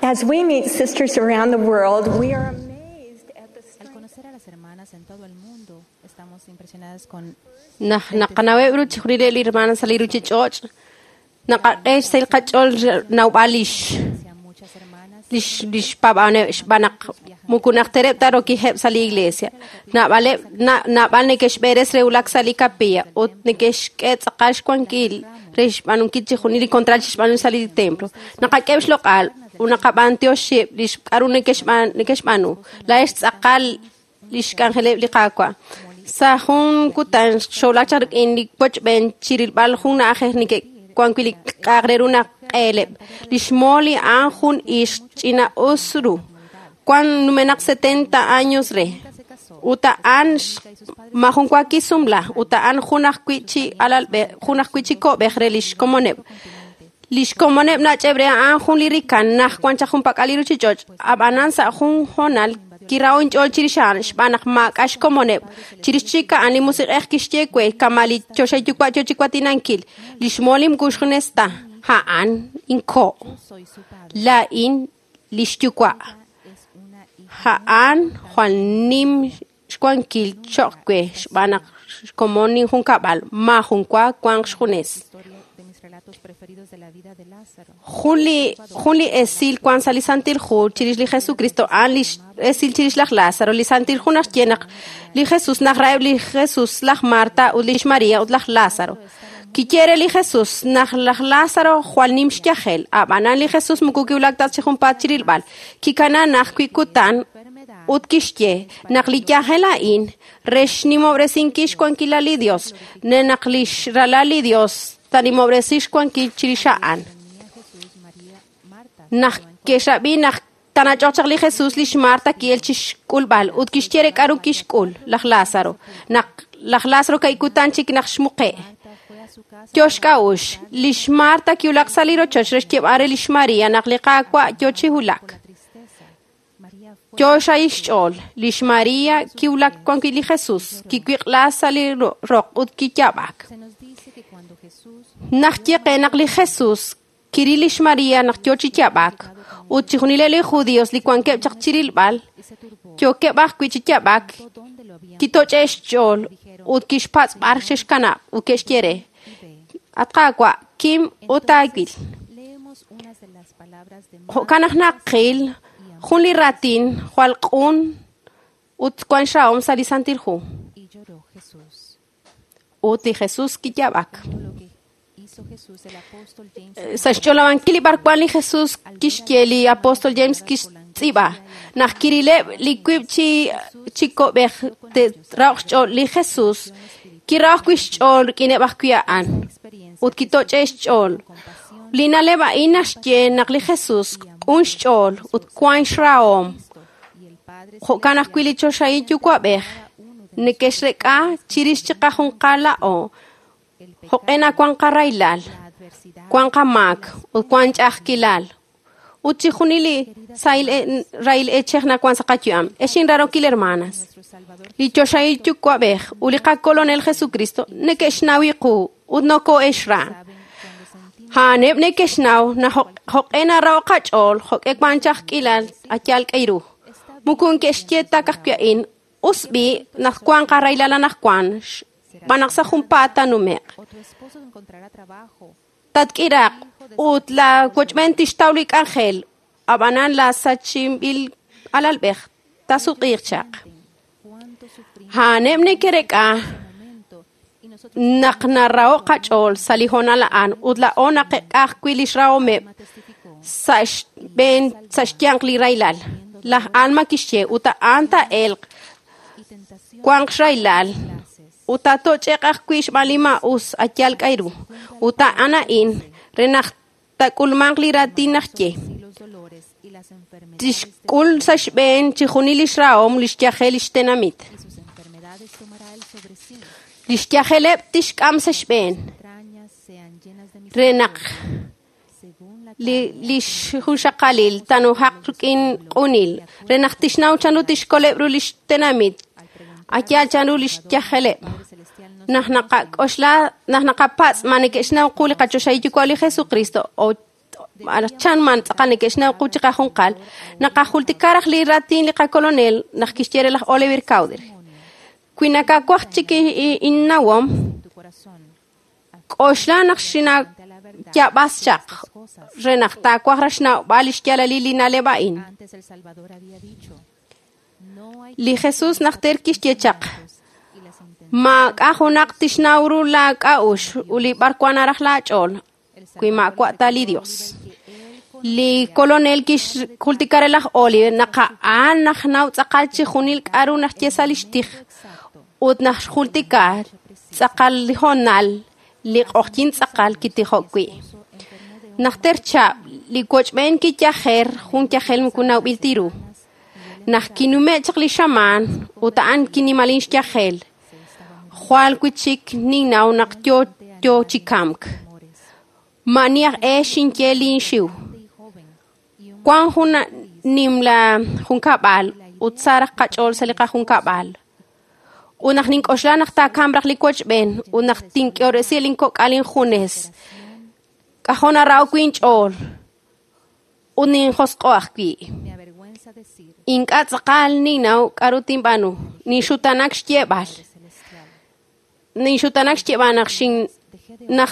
As we meet sisters around the world, we are amazed at the Al conocer a las hermanas en todo el mundo, estamos impresionadas con Naq naqanaweb' ru chixjunileb' li hermanas sa' li ruchich'och', naqak'e xsahil qach'ool nawb'al lix hacia muchas hermanas lix xpaab'aneb' xb'aan naq moko najtereb' ta rokijeb' sa' li iglesia. Naab'aleb' naab'al neke'xb'eres re wulak sa' li capilla ut neke'xk'e tz'aqal xwankil re xb'aanunkil chixjunil li contral xb'aanu sa' li templo. Naqak'eb' xloq'al ut naqab'antioxib' li k'a'ru neke'xb'aanu. Laa'ex tz'aqal li xk'anjeleb' li Qaawa'. Sa' jun kutan xowlak chaq rik'in li wochb'een chirilb'al jun na'ajej neke'wan wi' li k'a'aq re ru naq q'eeleb'. Li xmoli a'an jun ixq ch'ina'us ru. Wan numenaq 70 años re. Ut a'an majun wa kisumla. Ut a'an jun ajwi' chi alalb'ej, jun ajwi' chi ko'b'ej re lix komoneb'. Lix komoneb' nach'eb' re a'an jun li rikan naj wan chaq junpak'al li ruchich'och'. Ab'anan sa' jun hoonal kirao inch'ool chirix a'an xb'aan naq maak'a' xkomoneb'. Chirix chik a'an li musiq'ej kixye we kama' li choxahil yuwa' yo chi watinankil. Lix molim kux junes ta. A'an inko'. soy su padre. Laa'in lix yuwa'. Es una hija A'an jwal nim xwankil cho'q we xb'aan naq xkomon ninjunkab'al maajun wa wanq xjunes. historia de mis relatos preferidos de la vida de Lázaro. Jun li esil wan sa' li Santil Hu chirix li Jesucristo a'an li esil chirix laj Lázaro. Li Santil Hu naxye naq li Jesús naq raheb' li Jesús laj Marta ut lix María ut laj Lázaro. Kiye re li Jesús naq laj Lázaro jwal nim xyajel. Ab'anan li Jesús moko kiwulak ta chi junpaat chirilb'al. Kikana naj wi' kutan ut kixye naq li yajel a'in re xnimob'resinkil xwankilal li Dios, ne naq lix ralal li Dios tanimob'resi xwankil chirix a'an. Venía Jesús, María, Marta Naq ke'xrab'i naq Taanach'oq chaq li Jesus lix Marta ki'el chixk'ulb'al ut kixye re k'aru kixk'ul laj Lázaro. Naq laj Lázaro ka'ikutan chik naq xmuqe'. Yo xk'a'uxl, lix Marta kiwulak sa' li rochoch re xyeeb'al re lix María naq li Qaawa' yo chi wulak. Yo xahil xch'ool, lix María kiwulak wan wi' li Jesus, kiwiq'la sa' li roq ut kiyaab'ak. Naq ye qe naq li Jesus kiril lix María naq yo chi yaab'ak ut chixjunileb' li judíos li wankeb' chaq chirilb'al yookeb' ajwi' chi yaab'ak, kitoch'e' xch'ool ut kixpatz' b'ar xe'xkanab' ut ke'xye re: At Qaawa', kim ut aawil. Jo'kan naq naqil jun li raatin jwal q'un ut wan xrahom sa' li Santil Hu. Ut li Jesus kiyaab'ak. Sa' xch'olob'ankil li b'arwan li Jesus kixye li apóstol James kixtz'iib'a naq kirileb' li wiib' chi ko'b'ej te'rahoq xch'ool li Jesus kirahok wi' xch'ool rik'ineb' ajwi' a'an ut kitoch'e' xch'ool. Li na'leb' a'in naxye naq li Jesus q'un xch'ool ut wan xrahom. Jo'kan ajwi' li choxahil yuwa'b'ej neke'xrek'a chirix chiqajunqal laa'o. Jo'q'e nawan qarahilal, wan qamaak ut wan ch'a'ajkilal. Ut chixjunil li sahil rahil eechej nawan sa' qayu'am. Ex inrarokil hermanas, li choxahil yuwa'b'ej ut li qakolonel Jesucristo neke'xnaw qu ut noko'exra. A'aneb' neke'xnaw naq jo'q'e narahok qach'ool, jo'q'e wan ch'a'ajkilal ayal k'ayru. Moko neke'xye ta ka'ajwi' a'in, us b'i' naq wan qarahilal anaqwan, xb'aan naq sa' junpaat taanume'q. Tatk'iraq ut la wochb'een tixtaw li k'anjel, ab'anan la sachinb'il alalb'ej taasutq'iiq chaq. A'aneb' neke'rek'a naq narahok qach'ool sa' li hoonal a'an ut laa'o naqek'a ajwi' lix rahomeb' sa' xb'een sa' xyanq li rahilal. Laj Alma kixye ut a'an taa'elq wanq xrahilal ut taatoch'e'q ajwi' xb'aan li maa'us ayal k'ayru. Ut a'an a'in re naq taak'ulmanq li raatin naxye. Tixk'ul sa' xb'een chixjunil lix rahom lix yajel lix tenamit. Lix yajeleb' tixk'am sa' xb'een re naq lix junxaqalil taanujaq rik'in q'unil re naq tixnaw chanru tixkoleb' ru lix tenamit ayal chanru lix yajeleb'. Naq naqak'oxla naq naqapatz' ma neke'xnaw qu li qachoxahil yuwa' li Jesucristo o chan man tz'aqal neke'xnaw qu chiqajunqal, naqajultika raj li raatin li qakolonel naq kixye re laj Oliver Cowdery. Wi nakawaj chik innawom, k'oxla naq xinayaab'as chaq re naq taawaj raj xnawb'al lix yaalalil li na'leb' a'in. Li Jesus najter kixye chaq, maak'a' junaq tixnaw ru laak'a'uxl ut li b'arwan naraj laach'ool, wi maawa' ta li Dios. Li kolonel kixjultika re laj Oliver naq a'an najnaw tz'aqal chixjunil k'aru naxye sa' lix tij ut naq xjultika tz'aqal li hoonal li q'oqyink tz'aqal kitijok wi'. Najter chab' li wochb'een kiyajer jun yajel moko nawb'il ta ru. Naq kinume' chaq li xamaan ut a'an kinimalin xyajel, jwal wi' chik ninnaw naq yo chi kamk. Ma'ani aj e xinye linxiw. Wan jun nimla junkab'al ut sa raj qach'ool sa' li qajunkab'al. Ut naq nink'oxla naq taakamq raj li wochb'een ut naq tink'oresi linkok'al injunes, k'ajo' narahok wi' inch'ool ut ninjosq'o ajwi'. Ink'a' tz'aqal ninnaw k'aru tinb'aanu, ninxutanak xyeeb'al. Ninxutanak xyeeb'al naq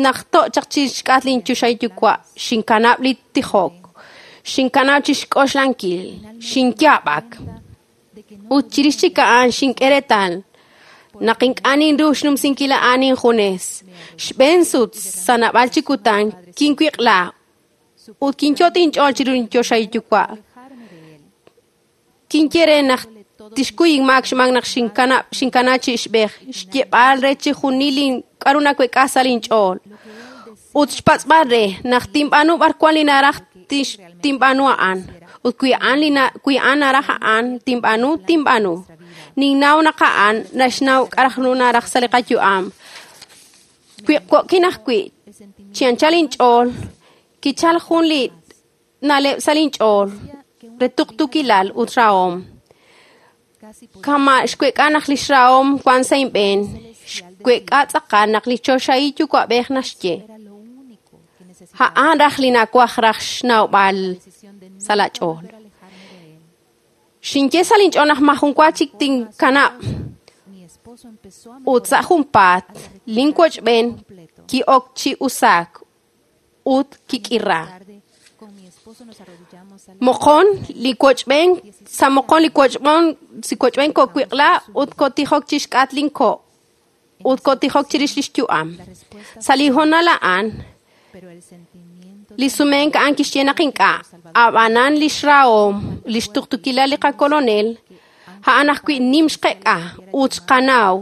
naq to' chaq chixk'atq linchoxahil yuwa', xinkanab' li tijok, xinkanab' chixk'oxlankil, xinyaab'ak. Ut chirix chik a'an xink'e reetal naq ink'a' ninru xnumsinkil a'an injunes. Xb'een sut sa' naab'al chi kutan kinwiq'la ut kinyot' inch'ool chiru linchoxahil yuwa'. Kinye re naq tixkuy inmaak xmaak naq xinkana chi ixb'ej, xyeeb'al re chixjunil k'aru nawek'a sa' linch'ool. Ut xpatz'b'al re naq tinb'aanu b'arwan li naraj tinb'aanu a'an. Ut wi a'an li wi a'an naraj a'an, tinb'aanu, tinb'aanu. Ninnaw naq a'an naxnaw k'a' ru naraj sa' li qayu'am. Wiq'wo'kin ajwi', chi anchal inch'ool, kichal jun li na'leb' sa' linch'ool re tuqtuukilal ut rahom. Kama' xweek'a naq lix rahom wan sa' inb'een, xweek'a tz'aqal naq li choxahil yuwa'b'ej naxye. A'an raj li nawaj raj xnawb'al sa' la ch'ool. Xinye sa' linch'ool naq majun wa chik tinkanab'. Ut sa' junpaat, linwochb'een ki'ok chi usaak ut kik'ira. Moqon li wochb'een, sa' moqon li wochb'on, si wochb'een ko'wiq'la ut ko'tijok chixk'at linko' ut ko'tijok chirix lix yu'am. Sa' li hoonal a'an, li sumenk a'an kixye naq ink'a', ab'anan lix rahom, lix tuqtuukilal li qakolonel, a'an ajwi' nim xqek'a ut xqanaw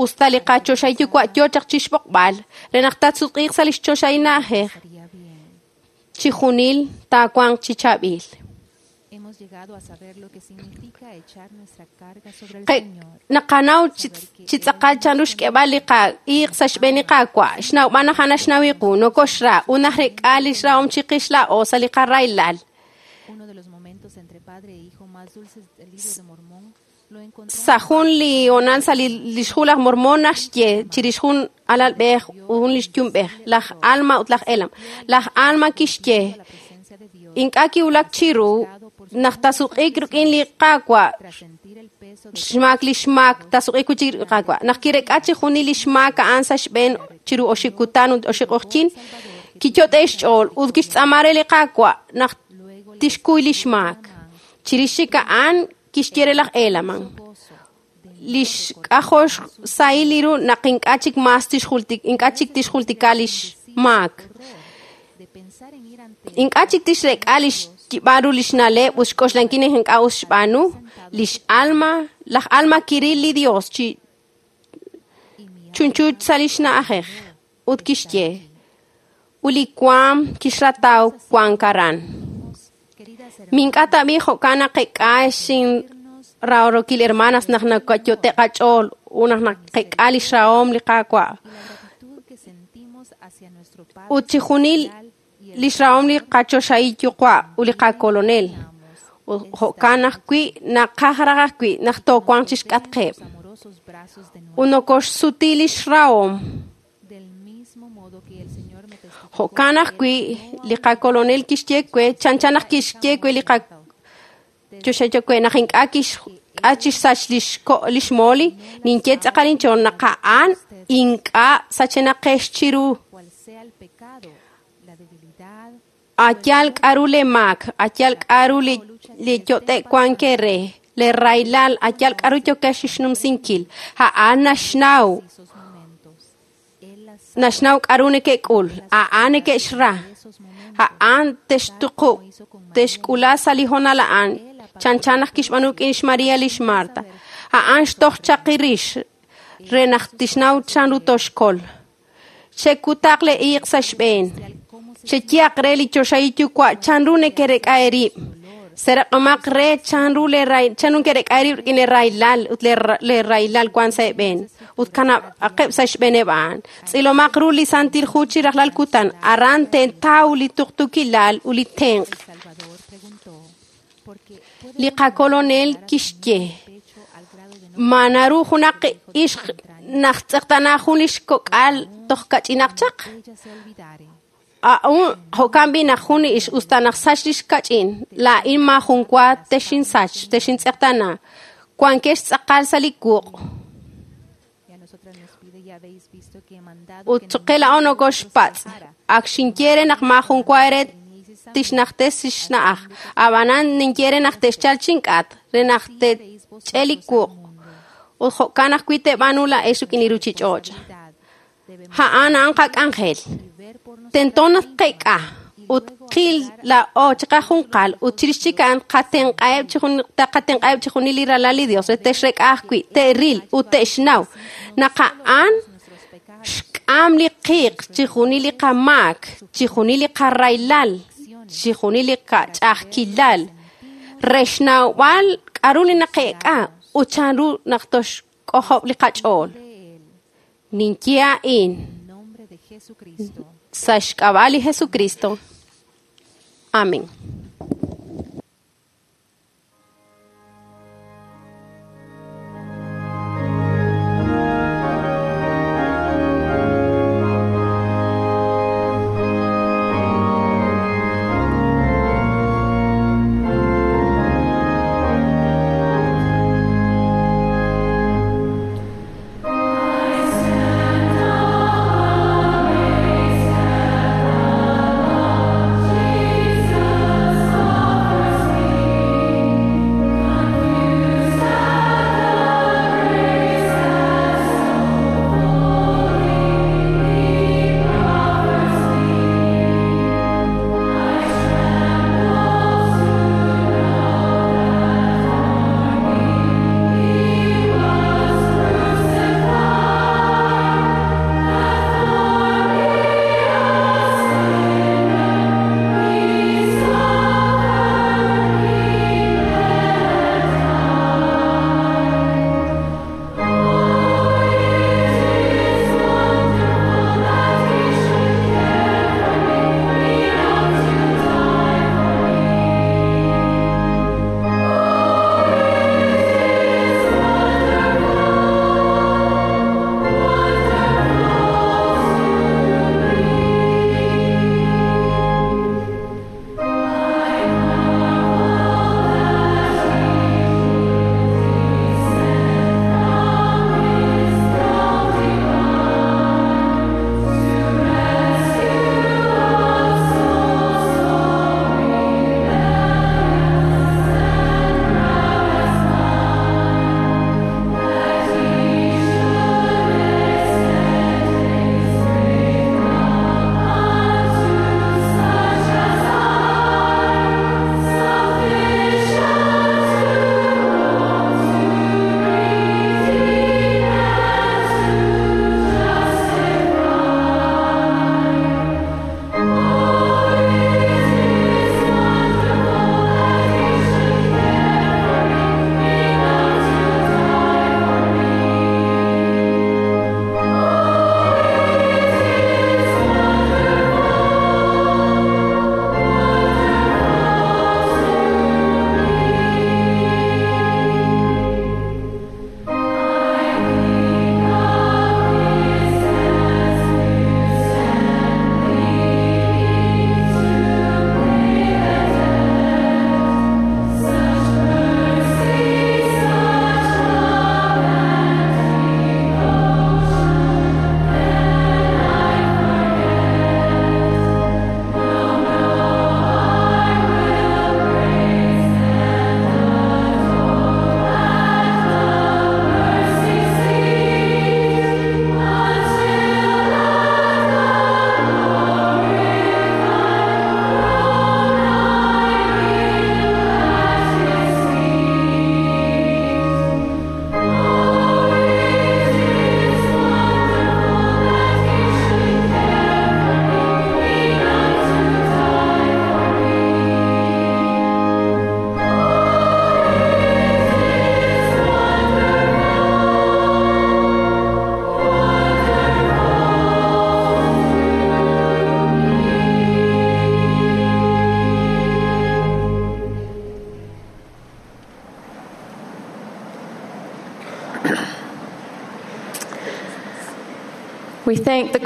usta li qachoxahil yuwa' yoo chaq chixb'oqb'al re naq taasutq'iiq sa' lix choxahil na'ajej, chijunil taawanq chi chaab'il. Naqanaw chi tz'aqal chanru xk'eb'al li qa'iiq sa' xb'een li Qaawa', xnawb'al naq a'an naxnaw iqu, nokoxra ut najrek'a lix rahom chiqix laa'o sa' li qaraylal. Sa' jun li hoonal sa' lix hu laj Mormon naxye chirix jun alalb'ej ut jun lix yumb'ej, laj Alma ut laj Elam. Laj Alma kixye ink'a' kiwulak chiru naq taasutq'iiq rik'in li Qaawa' xmaak li xmaak taasutq'iiq wi' chik li Qaawa'. Naq kirek'a chijunil li xmaak a'an sa' xb'een chiru oxib' kutan ut oxib' q'oqyink, kiyot'e xch'ool ut kixtz'aama re li Qaawa' naq tixkuy li xmaak. Chirix chik a'an kixye re laj Elaman, lix k'ajol xsahil li ru naq ink'a' chik mas ink'a' chik tixjultika lix maak. Ink'a' chik tixrek'a lix yib'aru lix na'leb' ut xk'oxlankil naq ink'a' us xb'aanu. Lix alma, laj Alma kiril li Dios chi chunchu sa' lix na'ajej ut kixye, ut li waam kixrataw wank aran. Mink'a' tab'i jo'kan naqek'a xin rahorokil hermanas naq nakayote qach'ool ut naq naqek'a lix rahom li Qaawa'. Ut chijunil lix rahom li qachoxahil yuwa' ut li qakolonel. Jo'kan ajwi' naqaj raj ajwi' naq toowanq chixk'atqeb'. Ut nokoxsuti lix rahom. Jo'kan ajwi' li qakolonel kixye we, chanchan naq kixye we li qachoxahil we naq ink'a' kixk'a chixsach lix moli, ninye tz'aqal inch'ool naq a'an ink'a' sachenaqex chiru. Ayal k'aru le maak, ayal k'aru li yot'e wank re, le raylal, ayal k'aru yokex xnumsinkil. A'an naxnaw, naxnaw k'aru neke'k'ul, a'an neke'xra, a'an textuqub', texk'ula sa' li hoonal a'an, chanchan naq kixb'aanu rik'in xMaria lix Marta. A'an xtoj chaqi rix re naq tixnaw chanru toxkol. Xekutaq le iiq sa' xb'een. Xeyehaq re li choxahil yuwa' chanru nekerek'a eerib'. Seraq'omaq re chanru chanru nekerek'a eerib' rik'in le raylal ut le raylal wan sa' eeb'een. Ut kanab'aqeb' sa' xb'eeneb' a'an. Tz'ilomaq ru li Santil Hu chi rajlal kutan. Aran teentaw li tuqtuukilal ut li tenq'. Li qakolonel kixye, ma naru junaq ixq naq tz'eqtana jun lix kok'al toj kach'inaq chaq? A'un jo'kan b'i naq jun ix usta naq sach lix kach'in, laa'in majun wa texinsach, texintz'eqtana. Wankex tz'aqal sa' li wuq'. Ut choqe la'o nokoxpatz', ak xinye re naq majun wa ere tixnajtes xna'aj. Ab'anan ninye re naq texchal chink'at, re naq tech'e li wuq'. Ut jo'kan ajwi' te'b'aanu la'ex rik'in li ruchich'och'. A'an a'an qak'anjel. Tento naq qek'a ut qil la'o chiqajunqal ut chirix chik a'an qatenq'aheb' chijunil li ralal li Dios re texrek'a ajwi' te'ril ut te'xnaw naq a'an xk'am li qiiq chijunil li qamaak, chijunil li qaraylal, chijunil li qach'a'ajkilal. Re xnawb'al k'a'ru li naqeek'a ut chanru naq toxk'ojob' li qach'ool. Ninye a'in sa' xk'ab'a' li Jesucristo. Amén.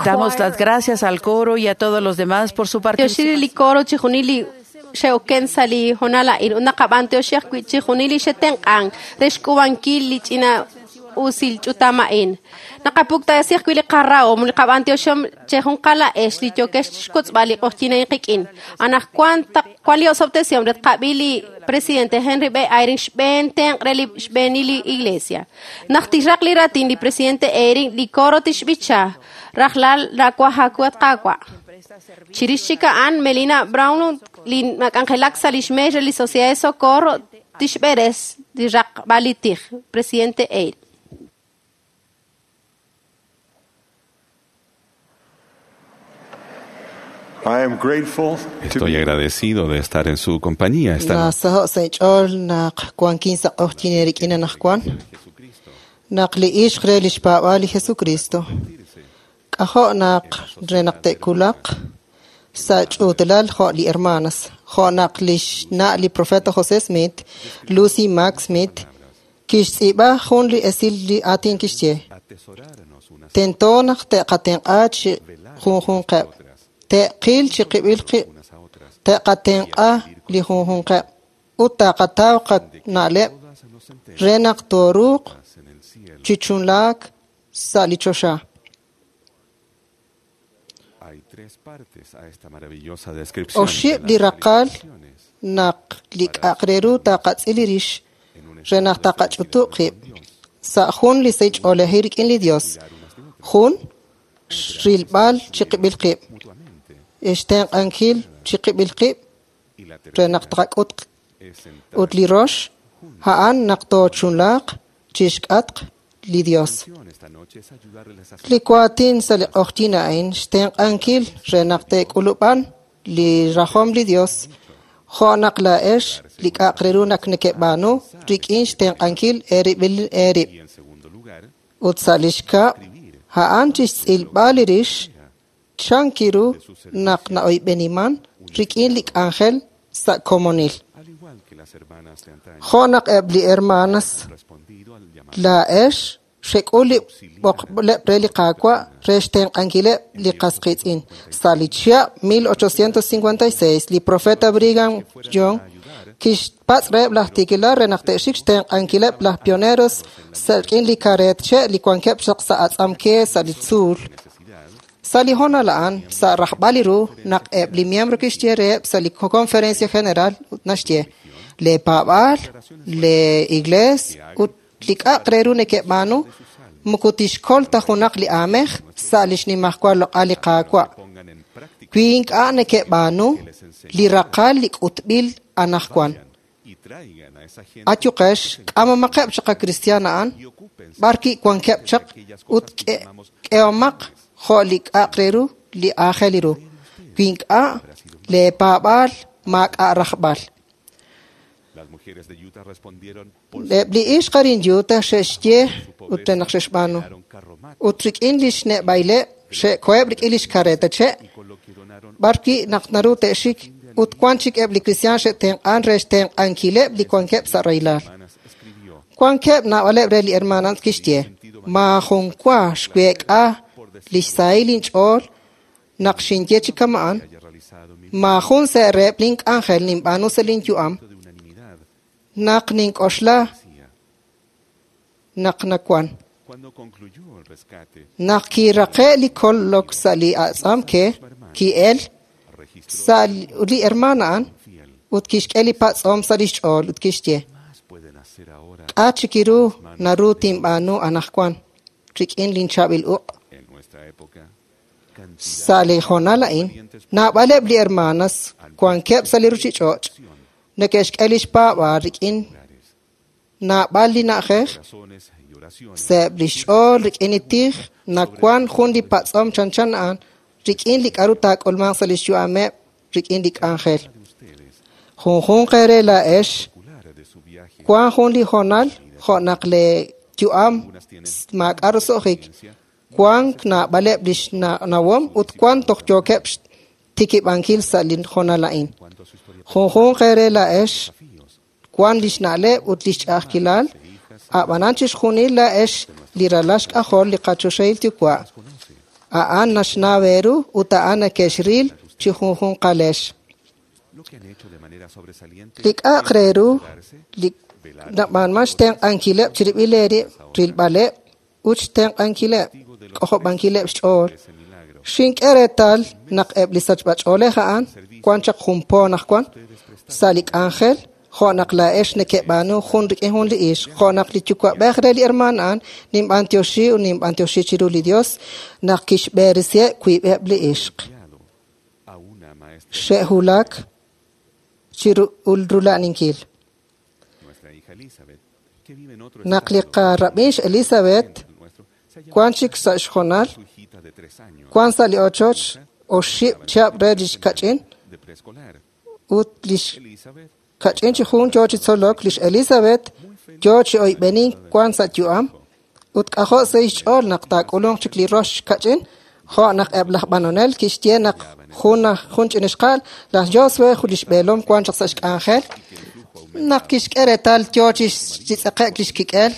Damos las gracias al coro y a todos los demás por su participación. Yoshiri li coro chijunili xeoken sali honala in unaqab'an tioxiaq wi chijunili xetenq'an re xk'ubankil li ch'ina usil ch'utama'in naqapuktasij wi li qarra'om li qab'an tioxom chejunqala ex li yokex xkotzb'al li q'ojchinayn qik'in anajkuan taq kuan li osobtesiom ret qab'i li presidente Henry B. Eyring xb'een tenq' re li xb'eenil li iglesia naq tixraq li ratin li presidente Eyring li coro tixb'icha rajlal rakuajakuat qawa Chirix chik a'an Melina Brown li nak'anjelak sa' li xmeex re li Sociedad de Socorro tixb'eres li raqb'al li tij presidente Eyring. I am grateful to Estoy agradecido de estar en su compañía esta noche. Nasaho' sa' inch'ool naq wankin sa' q'oqtyin eerik'in anaqwan. Naq li ixq re lix paab'aal li Jesucristo. K'ajo' naq re naq te'kulaq sa' ch'uutalal jo' li hermanas. Jo' naq lix na' li profeta José Smith, Lucy Mack Smith, kixtz'iib'a jun li esil li aatin kixye. Tento naq te'qatenq'a chi junjunqeb'. Te'qil chi qib'il qib'. Te'qatenq'a li junjunqeb'. Ut taqataw qana'leb' re naq tooruuq chi chunlaak sa' li choxa. Hay tres partes a esta maravillosa descripción. Oxib' li raqal naq li k'a'aq re ru taqatz'il li rix re naq taqach'utub' qib' sa' jun li sahil ch'oolejil rik'in li Dios. Jun, rilb'al chi qib'il qib'. Xtenq'ankil chi qib'il qib' re naq taqak'ut ut li rox, a'an naq toochunlaaq chixk'atq li Dios. Li waatin sa' li q'oqtyin a'in xtenq'ankil re naq te'k'ulub'an li rajom li Dios jo' naq laa'ex li k'a'aq re ru naq nekeb'aanu rik'in xtenq'ankil eerib'il eerib'. Ut sa' li xkab', a'an chixtz'ilb'al li rix chan kiru naq na'oyb'eniman rik'in li k'anjel sa' komonil. Al igual que las hermanas de antaño, Jo' naq eb' li hermanas respondido al llamado laa'ex xek'ul li b'oqleb' re li Qaawa' re xtenq'ankileb' li qas qiitz'in. Sa' li chihab' 1856, li profeta Brigham Young kixpatz' reheb' laj tiikilal re naq te'xik xtenq'ankileb' laj pioneros sa' rik'in li kareet che' li wankeb' chaq sa' atz'amke sa' li tzuul. Sa' li hoonal a'an, sa' rajb'al li ru, naq eb' li miembro kixye reheb' sa' li conferencia general ut naxye, le paab'aal, le iglees ut li k'a'aq re ru neke'b'aanu moko tixkol ta junaq li aamej sa' li xnimajwal loq'al li Qaawa'. pongan en práctica Wi ink'a' neke'b'aanu li raqal li k'utb'il anaqwan. y traigan a esa gente Ayuqex, k'amamaqeb' chaq a cristian a'an, y ocúpense b'arwi' wankeb' chaq ut k'ehomaq jo' li k'a'aq re ru li aajel ru. Wi ink'a' leepaab'aal maak'a' rajb'al. Las mujeres de Utah respondieron por Eb' li ixq arin Utah xe'xye ut re naq xe'xb'aanu. Ut rik'in li xne'b'ayleb' xe'koheb' rik'in li xkareta che' y con lo que donaron b'arwi' naq naru te'xik ut wan chik eb' li cristian xe'tenq'an re xtenq'ankileb' li wankeb' sa' rahilal. hermanas escribió Wankeb' naab'aleb' re li hermanas kixye, maajun wa xweek'a li xsahil inch'ool naq xinye chi kama'an, haya realizado mi maajun sa' reheb' link'anjel ninb'aanu sa' linyu'am de unanimidad naq nink'oxla decía naq nawan. cuando concluyó el rescate Naq kiraqe' li kolok sa' li atz'amke, ki'el registró sa' li hermana a'an fiel ut kixk'e li patz'om sa' lix ch'ool ut kixye, más pueden hacer ahora k'a' chik ru naru tinb'aanu anaqwan rik'in linchaab'il uq'. en nuestra época Sa' li hoonal a'in, naab'aleb' li hermanas wankeb' sa' li ruchich'och' neke'xk'e lix paab'aal rik'in naab'al li na'ajej razones y oraciones sa'eb' lix ch'ool rik'in li tij nawan jun li patz'om chanchan a'an rik'in li k'a'ru taak'ulmanq sa' lix yu'ameb' rik'in li k'anjel. de ustedes Junjunq eere laa'ex particular de su viaje wan jun li hoonal jo' naq le yu'am maak'a' roso'jik wan naab'aleb' lix nawom ut wan toj yookeb' xtikib'ankil sa' li hoonal a'in. cuanto a su historia Junjunq eere laa'ex desafíos wan lix na'leb' ut lix ch'a'ajkilal, a'b'anan chixjunil laa'ex li ralal xk'ajol li qachoxahil yuwa'. conoce A'an naxnaw eeru ut a'an neke'xril chi junjunqalex. lo que han hecho de manera sobresaliente Li k'a'aq re ru ayudarse, li nab'aanman xtenq'ankileb' chirib'il eerib', rilb'aleb' ut xtenq'ankileb', k'ojob'ankileb' xch'ool. ese milagro Xink'e reetal naq eb' li sachb'ach'oolej a'an wan chaq jun po naq wan sa' li k'anjel jo' naq laa'ex neke'b'aanu jun rik'in jun li ixq, jo' naq li yuwa'b'ej re li hermaan a'an ninb'antioxi ut ninb'antioxi chiru li Dios naq kixb'eresiheb' wiib'eb' li ixq. guiado a una maestra Xe'wulak chi rula'aninkil. nuestra hija Elizabeth que vive en otro Naq li estado qarab'in Elizabeth el nuestro se ha wan chik sa' xjonal, su hijita de 3 años wan sa' li ochoch oxib' chihab' re lix kach'in ut lix kach'in chi jun yoo chi tzolok lix Elizabeth yoo chi oyb'enink wan sa' yu'am ut k'ajo' sa' xch'ool naq taak'ulunq chik li rox kach'in jo' naq eb' laj b'anonel kixye naq jun ch'inixqaal laj Josué jun lix b'eelom wan chaq sa' xk'anjel naq kixk'e reetal yoo chi tz'eqe'k lix kik'el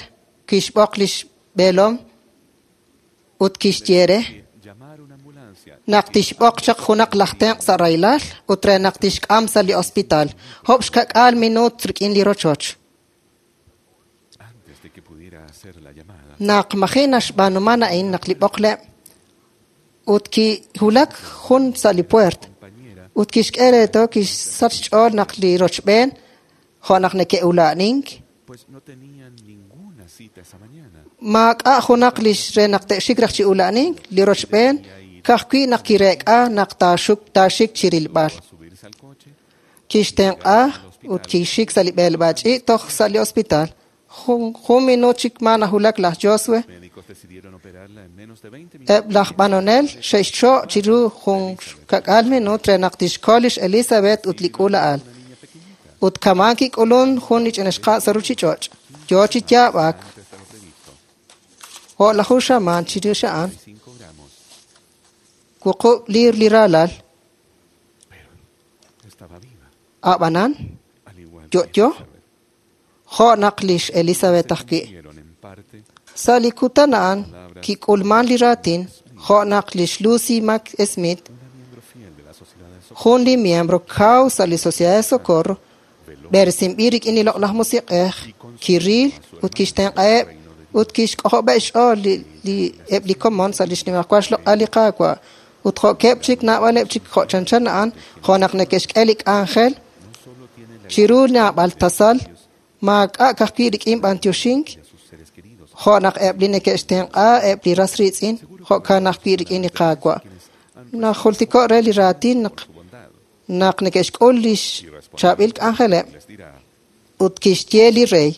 kixb'oq lix b'eelom ut kixye re naq tixb'oq chaq junaq laj tenq' sa' rahilal ut re naq tixk'am sa' li hospital job' xka'k'aal minuut rik'in li rochoch. Naq maji' naxb'aanuman a'in naq li b'oqleb' ut kiwulak jun sa' li puert ut kixk'e reetal kixsach xch'ool naq li rochb'een jo' naq neke'ula'nink maak'a' junaq lix re naq te'xik raj chi ula'nink li rochb'een ka'ajwi' naq kireek'a naq taaxik chi rilb'al. Kixtenq'a ut kixik sa' li b'eleb'aal ch'iich' toj sa' li hospital. Jun minuut chik ma najulak laj Josué. Eb' laj b'anonel xe'xcho' chiru jun ka'k'aal minuut re naq tixkol lix Elizabeth ut li k'uula'al. Ut kamaan kik'ulun jun li ch'inixqa' sa' ruchich'och'. Yoo chi yaab'ak. O'laju xamaan chirix a'an. Wuqub' liir li ralal. Ab'anan, yo'yo, jo' naq lix Elizabeth ajwi'. Sa' li kutan a'an kik'ulman li raatin jo' naq lix Lucy Mack Smith, jun li miembro kaw sa' li Sociedad de Socorro, b'eresinb'il rik'in li loq'laj musiq'ej, kiril ut kixtenq'aheb' ut kixk'ojob'eb' xch'ool eb' li komon sa' li xnimajwal xloq'al li Qaawa' ut jo'keb' chik naab'aleb' chik jo' chanchan a'an jo' naq neke'xk'e li k'anjel chiru naab'al tasal maak'a' ka'ajwi' rik'in b'antioxink jo' naq eb' li neke'xtenq'a eb' li ras riitz'in jo'kan ajwi' rik'in li Qaawa'. Najultiko' re li raatin naq neke'xk'ul lix chaab'il k'anjeleb' ut kixye li rey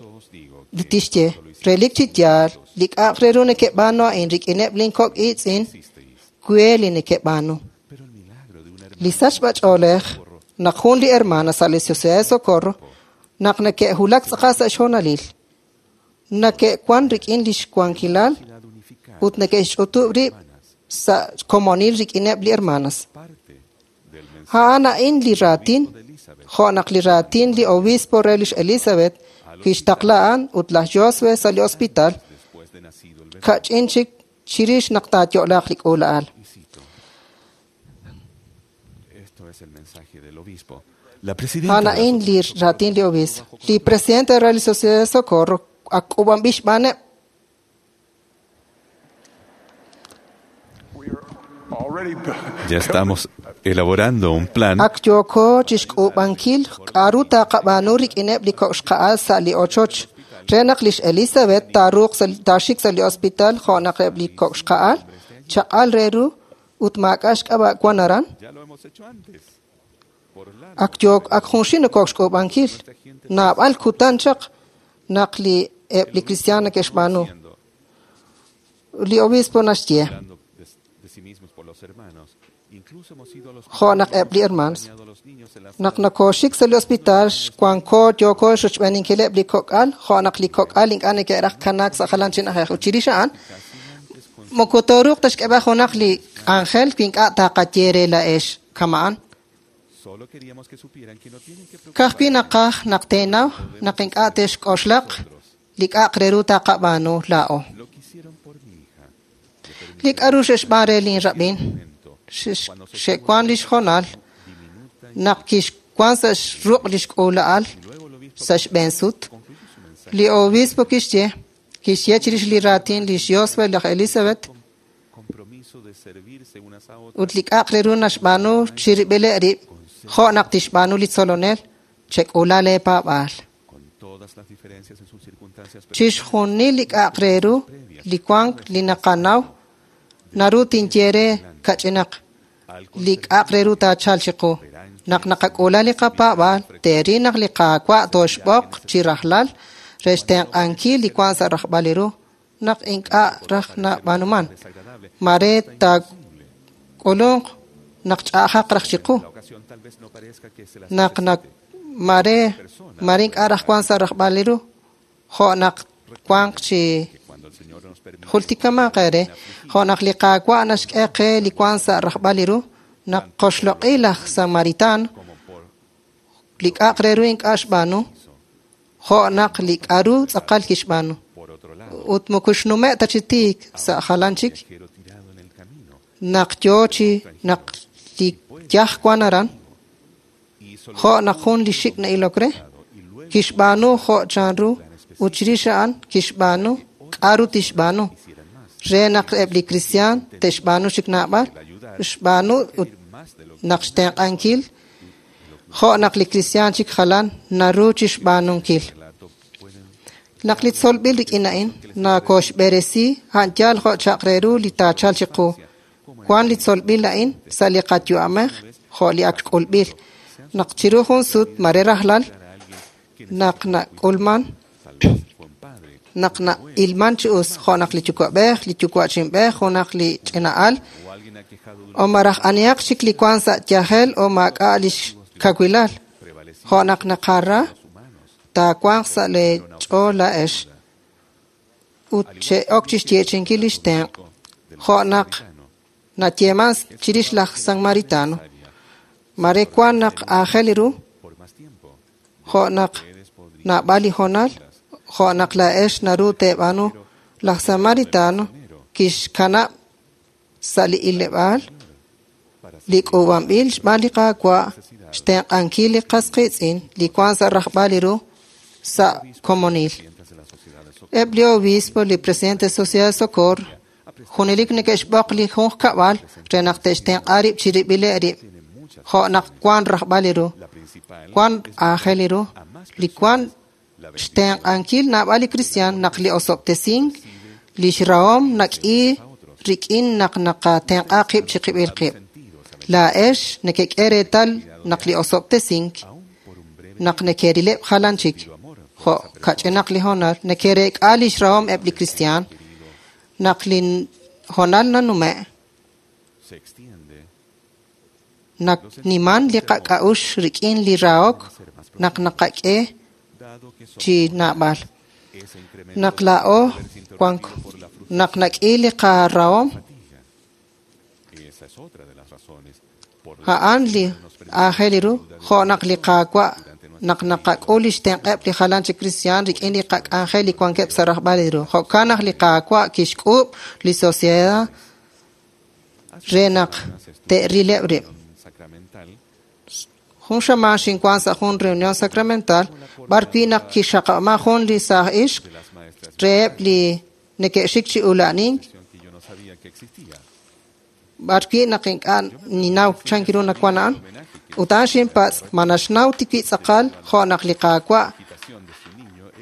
tixye relik chi yaal li k'a'aq re ru neke'b'aanu a'in rik'ineb' lin kok' iitz'in we li neke'b'aanu. Li sachb'ach'oolej naq jun li hermana sa' li Sociedad de Socorro naq neke'wulak tz'aqal sa' xhoonalil neke'wan rik'in lix wankilal ut neke'xch'utub' rib' sa' komonil rik'ineb' li hermanas. A'an a'in li raatin jo' naq li raatin li obispo re lix Elizabeth kixtaqla a'an ut laj Josué sa' li hospital kach'in chik chirix naq taayo'laaq li k'uula'al. A'an a'in li raatin li obispo. Li presidente re li Sociedad de Socorro ak k'uub'anb'il xb'aaneb'. Ya estamos elaborando un plan. Ak yooko chixk'uub'ankil k'a'ru taqab'aanu rik'ineb' li kok' xqa'al sa' li ochoch re naq lix Elizabeth taaruuq taaxik sa' li hospital jo' naq eb' li kok' xqa'al chaq'al re ru ut maak'a' xk'ab'a' wan aran. Ak yook ak junxil nokok xk'uub'ankil naab'al kutan chaq naq li eb' li cristiano neke'xb'aanu. Li obispo naxye jo' naq eb' li hermanos naq nokooxik sa' li hospital wanko yooko xrochb'eeninkileb' li kok'al jo' naq li kok'al ink'a' neke'raj kanaak sa' jalan chi na'ajej ut chirix a'an moko tooruuq ta xk'eb'al junaq li k'anjel wi ink'a' taqaye re laa'ex kama'an. Ka'ajwi' naqaj naq teenaw naq ink'a' te'xk'oxlaq li k'a'aq re ru taqab'aanu laa'o. Li k'a'ru xe'xb'aan re lin rab'in xe'wan lix hoonal naq kixwan sa' xruq' lix k'uula'al sa' xb'een sut. Li obispo kixye chirix li raatin lix Josué laj Elizabeth ut li k'a'aq re ru naxb'aanu chirib'ileb' rib' jo' naq tixb'aanu li tzolonel chek'uula leepaab'aal. Chixjunil li k'a'aq re ru li wank li naqanaw naru tinye re kach'inaq li k'a'aq re ru taachalq chiqu. Naq naqak'uula li qapaab'aal teeril naq li Qaawa' tooxb'oq chi rajlal re xtenq'ankil li wank sa' rajb'al li ru naq ink'a' raj nab'aanuman. Mare taak'ulunq naq ch'a'ajaq raj chiqu. Naq mare mare ink'a' raj wank sa' rajb'al li ru, jo' naq wanq chi jultikamanq eere, jo' naq li Qaawa' naxk'e qe li wank sa' rajb'al li ru, naq qoxloq'i laj Samaritano, li k'a'aq re ru ink'a' xb'aanu, jo' naq li k'a'ru tz'aqal kixb'aanu. Ut moko xnume' ta chi tiik sa' jalan chik, naq yoo chi naq li yaj wan aran, jo' naq jun li xik' na'ilok re, kixb'aanu jo' chanru ut chirix a'an kixb'aanu k'a'ru tixb'aanu re naq eb' li kristiaan te'xb'aanu chik naab'al, xb'aanu ut naq xtenq'ankil jo' naq li kristiaan chik jalan naru chixb'aanunkil. Naq li tzolb'il rik'in a'in nakoxb'eresi a'an yaal jo' chaq re ru li taachal chiqu. Wan li tzolb'il a'in sa' li qayu'amej jo' li ak k'ulb'il. Naq chiru jun sut mare rajlal naq nak'ulman naq na'ilman chi us jo' naq li yuwa'b'ej, li yuwa'chinb'ej, junaq li ch'ina'al o maraj anihaq chik li wan sa' yajel o maak'a' lix kawilal jo' naq naqara taawanq sa' lee ch'ool laa'ex ut che'ok chixyeechi'inkil lix tenq' jo' naq nayeeman chirix laj Samaritano. Mare wan naq aajel ru jo' naq naab'al li hoonal jo' naq laa'ex naru teeb'aanu laj Samaritano kixkanab' sa' li ileb'aal li k'uub'anb'il xb'aan li Qaawa' xtenq'ankil li qas qiitz'in li wan sa' rajb'al li ru sa' komonil. Eb' li obispo, li presidente Sociedad de Socorro, junelik neke'xb'oq li junq kab'al re naq te'xtenq'a rib' chirib'ileb' rib' jo' naq wan rajb'al li ru, wan aajel li ru, li wan xtenq'ankil naab'al li kristiaan naq li osob'tesink lix rahom nak'i rik'in naq naqatenq'a qib' chiqib'il qib'. Laa'ex nekek'e reetal naq li osob'tesink naq nekerileb' jalan chik jo' kach'inaq li hoonal nekereek'a lix rahom eb' li kristiaan naq li hoonal nanume' nakniman li qak'a'uxl rik'in li rahok naq naqak'e chi naab'al. Naq laa'o wank naq nak'i li qarahom a'an li aajel ru jo' naq li Qaawa' naq naqak'ul lix tenq'eb' li jalan chi kristiaan rik'in li qak'anjel li wankeb' sa' rajb'al li ru. Jo'kan naq li Qaawa' kixk'uub' li sociedad re naq te'rileb' rib'. Jun xamaan xinwan sa' jun reunión sacramental b'ar wi' naq kixaqab'ama jun li saaj ixq reheb' li neke'xik chi ula'nink b'ar wi' naq ink'a' ninaw chan ru nawan a'an ut a'an xinpatz' ma naxnaw tiwi' tz'aqal jo' naq li Qaawa'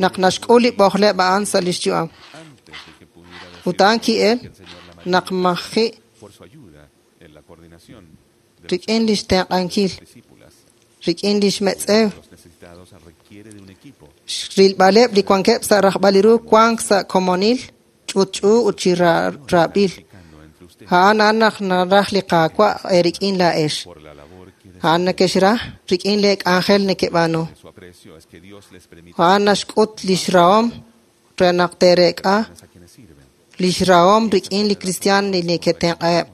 naq naxk'ul li b'ojleb' a'an sa' lix yu'am. Ut a'an ki'el naq maji' rik'in lix tenq'ankil rik'in lix metz'ew rilb'aleb' li wankeb' sa' rajb'al li ru wank sa' komonil ch'utch'u ut chi raab'il. A'an a'an naq naraj li Qaawa' eerik'in laa'ex. A'an nekexraj rik'in lee k'anjel nekeb'aanu. A'an naxk'ut lix rahom re naq teerek'a lix rahom rik'in li kristiaan li neketenq'aheb'.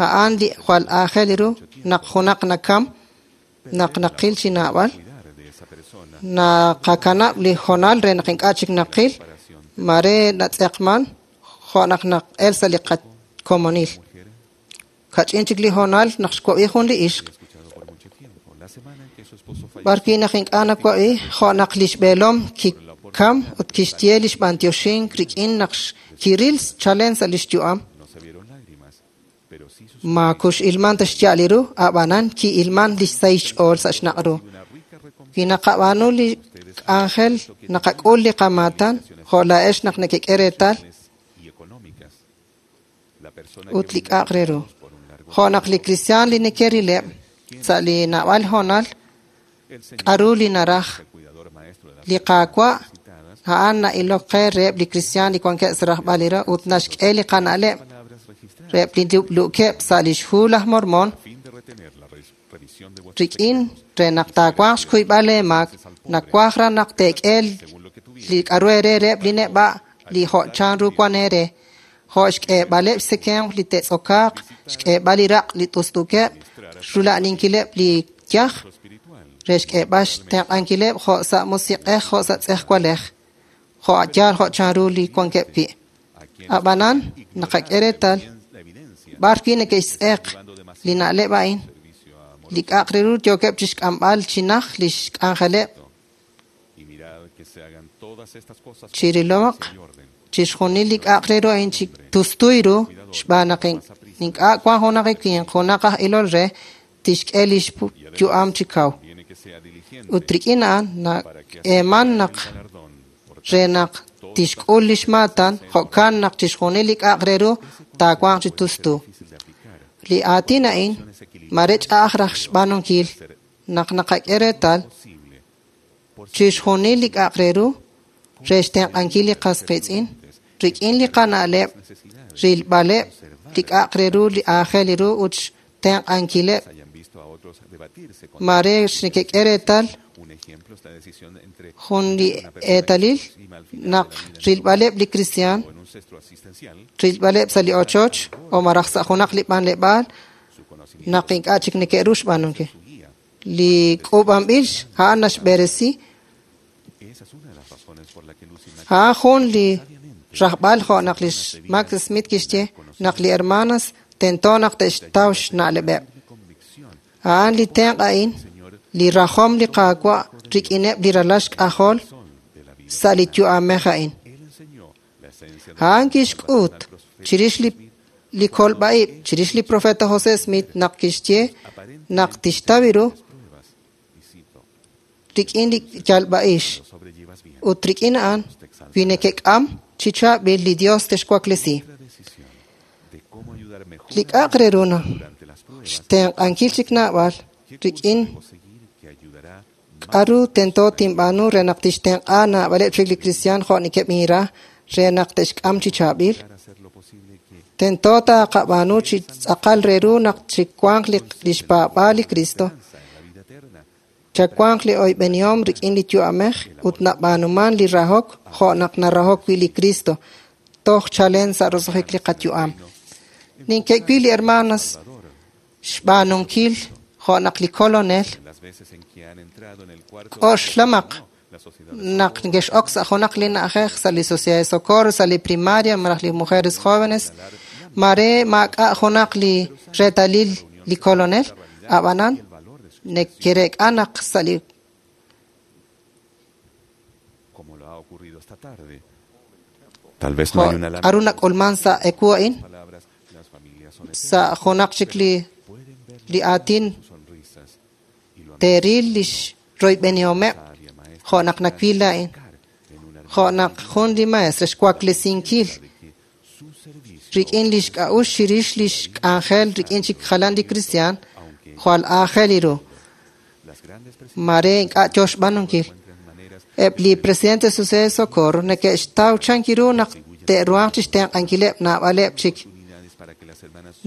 A'an li jwal aajel ru naq junaq nakam naq naqil chi naab'al naqakanab' li hoonal re naq ink'a' chik naqil mare natz'eqman jo' naq naq'el sa' li qakomonil. Kach'in chik li hoonal naq xwab'i jun li ixq b'ar wi' naq ink'a' nawab'i jo' naq lix b'eelom kikam ut kixye lix b'antioxink rik'in naq kiril chalen sa' lix yu'am. Ma kux'ilman ta xya'al li ru, ab'anan ki'ilman lix sahil xch'ool sa' xnaq' ru. Wi naqab'aanu li k'anjel naqak'ul li qamaatan jo' laa'ex naq nekek'e reetal ut li k'a'aq re ru. Jo' naq li kristiaan li nekerileb' sa' li naab'al hoonal k'a'ru li naraj li Qaawa' a'an na'ilok qe reheb' li kristiaan li wankeb' sa' rajb'al li ru ut naxk'e li qana'leb' reheb' li lub'luukeb' sa' lix hu laj Mormon. Rik'in re naq taawanq xkuyb'al eemaak, nawaj raj naq teek'e li k'aru eere reheb' li neb'a' li jo' chanru wan eere, jo' xk'eeb'aleb' xtzekemq li te'tz'okaaq, xk'eeb'al li raq' li t'ust'ukeb', rula'aninkileb' li yaj, re xk'eeb'al xtenq'ankileb' jo' sa' musiq'ej jo' sa' tz'ejwalej, jo' yaal jo' chanru li wankeb' wi'. Ab'anan naqak'e reetal b'ar wi' neke'xtz'eq li na'leb' a'in, li k'a'aq re ru yookeb' chixk'amb'al chi naj lix k'anjeleb' chirilomaq chixjunil li k'a'aq re ru a'in chi tustuy ru xb'aan naq ink'a' wan junaq winq, junaq aj ilol re tixk'e lix yu'am chi kaw. Ut rik'in a'an nak'eeman naq re naq tixk'ul lix maatan, jo'kan naq chixjunil li k'a'aq re ru taawanq chi tustu. Li aatin a'in mare ch'a'aj raj xb'aanunkil naq naqak'e reetal chixjunil li k'a'aq re ru re xtenq'ankil li qas qiitz'in rik'in li qana'leb' rilb'aleb' li k'a'aq re ru li aajel ru ut xtenq'ankileb' mare neke'k'e reetal jun li eetalil naq rilb'aleb' li kristiaan rilb'aleb' sa' li ochoch o malaj sa' junaq li b'anleb'aal naq ink'a' chik neke'ru xb'aanunkil. Li k'uub'anb'il a'an naxb'eresi a'an jun li rajb'al jo' naq lix Max Smith kixye naq li hermanas tento naq te'xtaw xna'leb'eb'. A'an li tenq' a'in li rajom li Qaawa' rik'ineb' li ralal xk'ajol sa' li yu'amej a'in. A'an kixk'ut chirix li kolb'a'ib' chirix li profeta José Smith naq kixye naq tixtaw ru rik'in li yalb'a'ix ut rik'in a'an wi neke'k'am chi chaab'il li Dios texwaklesi. Li k'a'aq re ru xtenq'ankil chik naab'al rik'in k'aru tento tinb'aanu re naq tixtenq'a naab'aleb' chik li kristiaan jo' nekeb'inra re naq te'xk'am chi chaab'il. Tento taqab'aanu chi tz'aqal re ru naq chiwanq lix paab'aal li Cristo, chawanq li oyb'enihom rik'in li yu'amej ut nab'aanuman li rahok jo' naq narahok wi' li Cristo toj chalen sa' roso'jik li qayu'am. Ninke'wil li hermanas xb'aanunkil jo' naq li kolonel k'oxlamaq naq neke'x'ok sa' junaq li na'ajej sa' li Sociedad de Socorro, sa' li primaria malaj li mujeres jóvenes, mare maak'a' junaq li reetalil li kolonel, ab'anan neke'reek'a naq sa' li k'aru nak'ulman sa' ewu a'in sa' junaq chik li aatin teeril lix royb'enihomeb' jo' naq nawil a'in, jo' naq jun li maestra xwaklesinkil rik'in lix k'a'uxl chirix lix k'anjel rik'in chik jalan li kristiaan jwal aajel ru. Mare ink'a' yo xb'aanunkil. Eb' li presidente Sociedad de Socorro neke'xtaw chankiru naq te'ruhanq chixtenq'ankileb' naab'aleb' chik.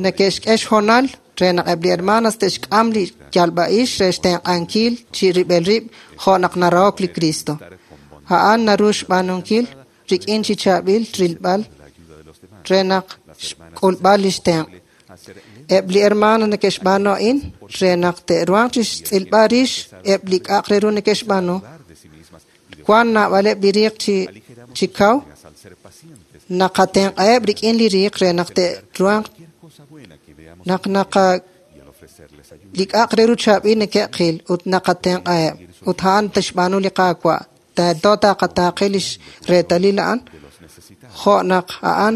Neke'xk'e xhoonal re naq eb' li hermanas te'xk'am li yalb'a'ix re xtenq'ankil chi rib'el rib' jo' naq narahok li Cristo. A'an naru xb'aanunkil rik'in chi chaab'il rilb'al re naq xk'ulb'al lix tenq'. Eb' li hermanas neke'xb'aanu a'in re naq te'ruhanq chixtz'ilb'al rix eb' li k'a'aq re ru neke'xb'aanu. Wan naab'aleb' li riiq chi kaw naqatenq'aheb' rik'in li riiq re naq te'ruhanq naq naqa li k'a'aq re ru chaab'il neke'qil ut naqatenq'aheb' ut a'an tixb'aanu li Qaawa' tento taqataaqe lix reetalil a'an jo' naq a'an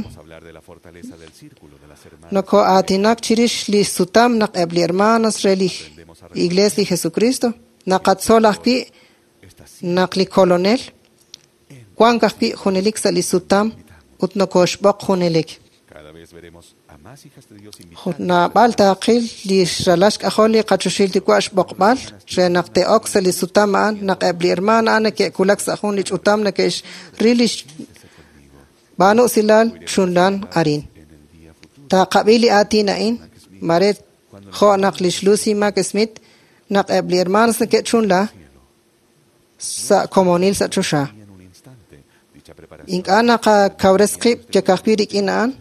noko'aatinak chirix li sutam naq eb' li hermanos re li Iglesia li Jesucristo naqatzol ajwi' naq li kolonel wank ajwi' junelik sa' li sutam ut nokoxb'oq junelik. Naab'al taaqil li ralal xk'ajol li qachoxil yuwa' xb'oqb'al re naq te'ok sa' li sutam a'an naq eb' li hermana a'an neke'kulak sa' jun li ch'utam neke'xril lix b'aanusilal chunlan arin. Taqab'i li aatin a'in mare Jo' naq lix Lucy Mack Smith naq eb' li hermanos neke'chunla sa' komonil sa' choxa. Ink'a' naqakawres qib' yakajwi' rik'in a'an,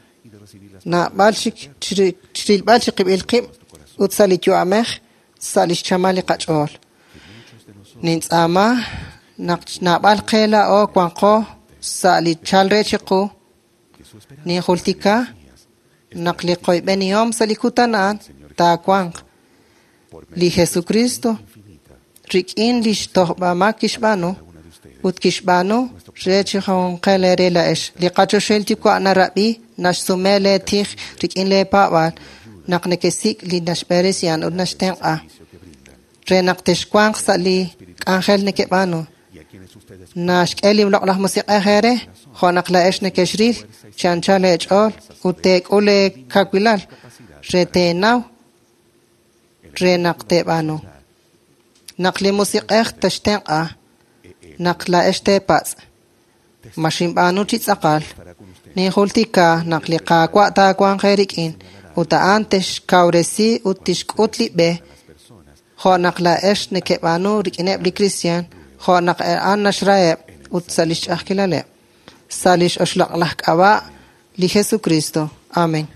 naab'al chik chirilb'al chiqib'il qib' ut sa' li yu'amej sa' lix chamal li qach'ool. Nintz'aama naq naab'al qe laa'o wanqo sa' li chal re chiqu, ninjultika naq li qoyb'enihom sa' li kutan a'an taawanq li Jesucristo rik'in lix tojb'amaak kixb'aanu ut kixb'aanu re chi junqel eere la'ex. Li qachoxahil yuwa' narab'i naxsume lee tij rik'in lee paab'aal naq nekesik' li naxb'eresi a'an ut naxtenq'a re naq texwanq sa' li k'anjel nekeb'aanu. Naxk'e li loq'laj musiq'ej eere jo' naq la'ex nekexril chi anchal eech'ool ut teek'ul eekawilal re teenaw re naq teeb'aanu. Naq li musiq'ej textenq'a naq la'ex teepatz' ma xinb'aanu chi tz'aqal ninjultika naq li Qaawa' taawanq eerik'in ut a'an texkawresi ut tixk'ut li b'e jo' naq la'ex nekeb'aanu rik'ineb' li kristiaan jo' naq a'an naxraheb' ut sa' lix ch'a'ajkilaleb'. Sa' lix oxloq'laj k'ab'a' li Jesucristo. Amén.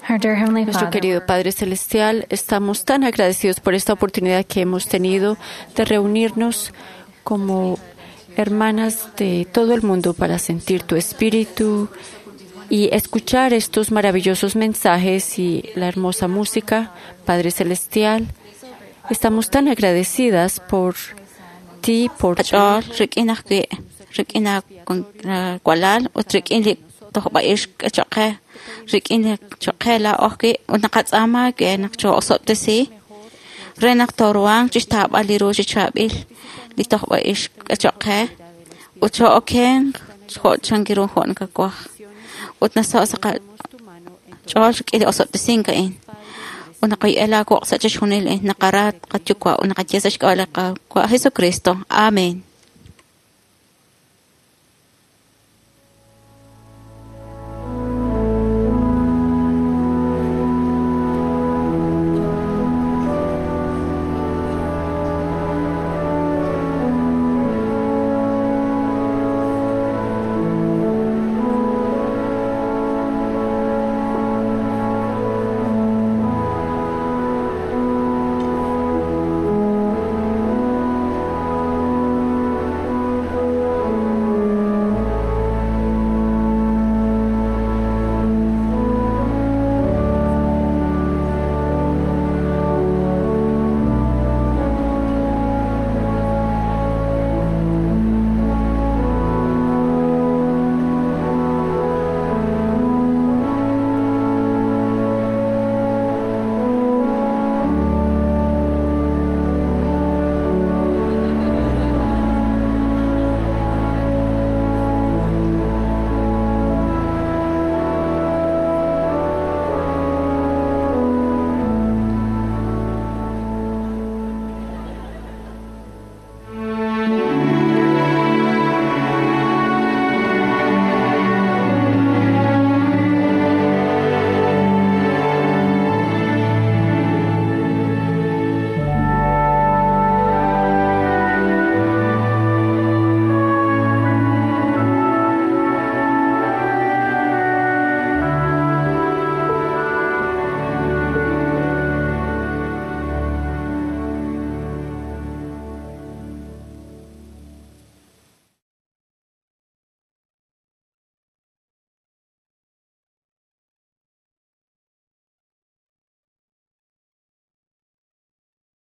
Nuestro querido Padre Celestial, estamos tan agradecidos por esta oportunidad que hemos tenido de reunirnos como hermanas de todo el mundo para sentir tu espíritu y escuchar estos maravillosos mensajes y la hermosa música. Padre Celestial, estamos tan agradecidas por ti, por Qach'ool rik'in ajwi' rik'in walal ut rik'in li tojb'a'ix cho'qe rik'in li cho'qe laa'o ajwi' ut naqatz'aama ke naq choo'osob'tesi re naq tooruhanq chixtaab'al li ru chi chaab'il li tojb'a'ix cho'qe ut choo'okenq jo' chankiru jo' nakawaj ut nasaho' sa' qach'ool rik'in li osob'tesink a'in ut naqaye'e laawoq' sa' chixjunil naqara qayuwa' ut naqaye sa' xk'ab'a' li Qaawa' Jesucristo. Amén.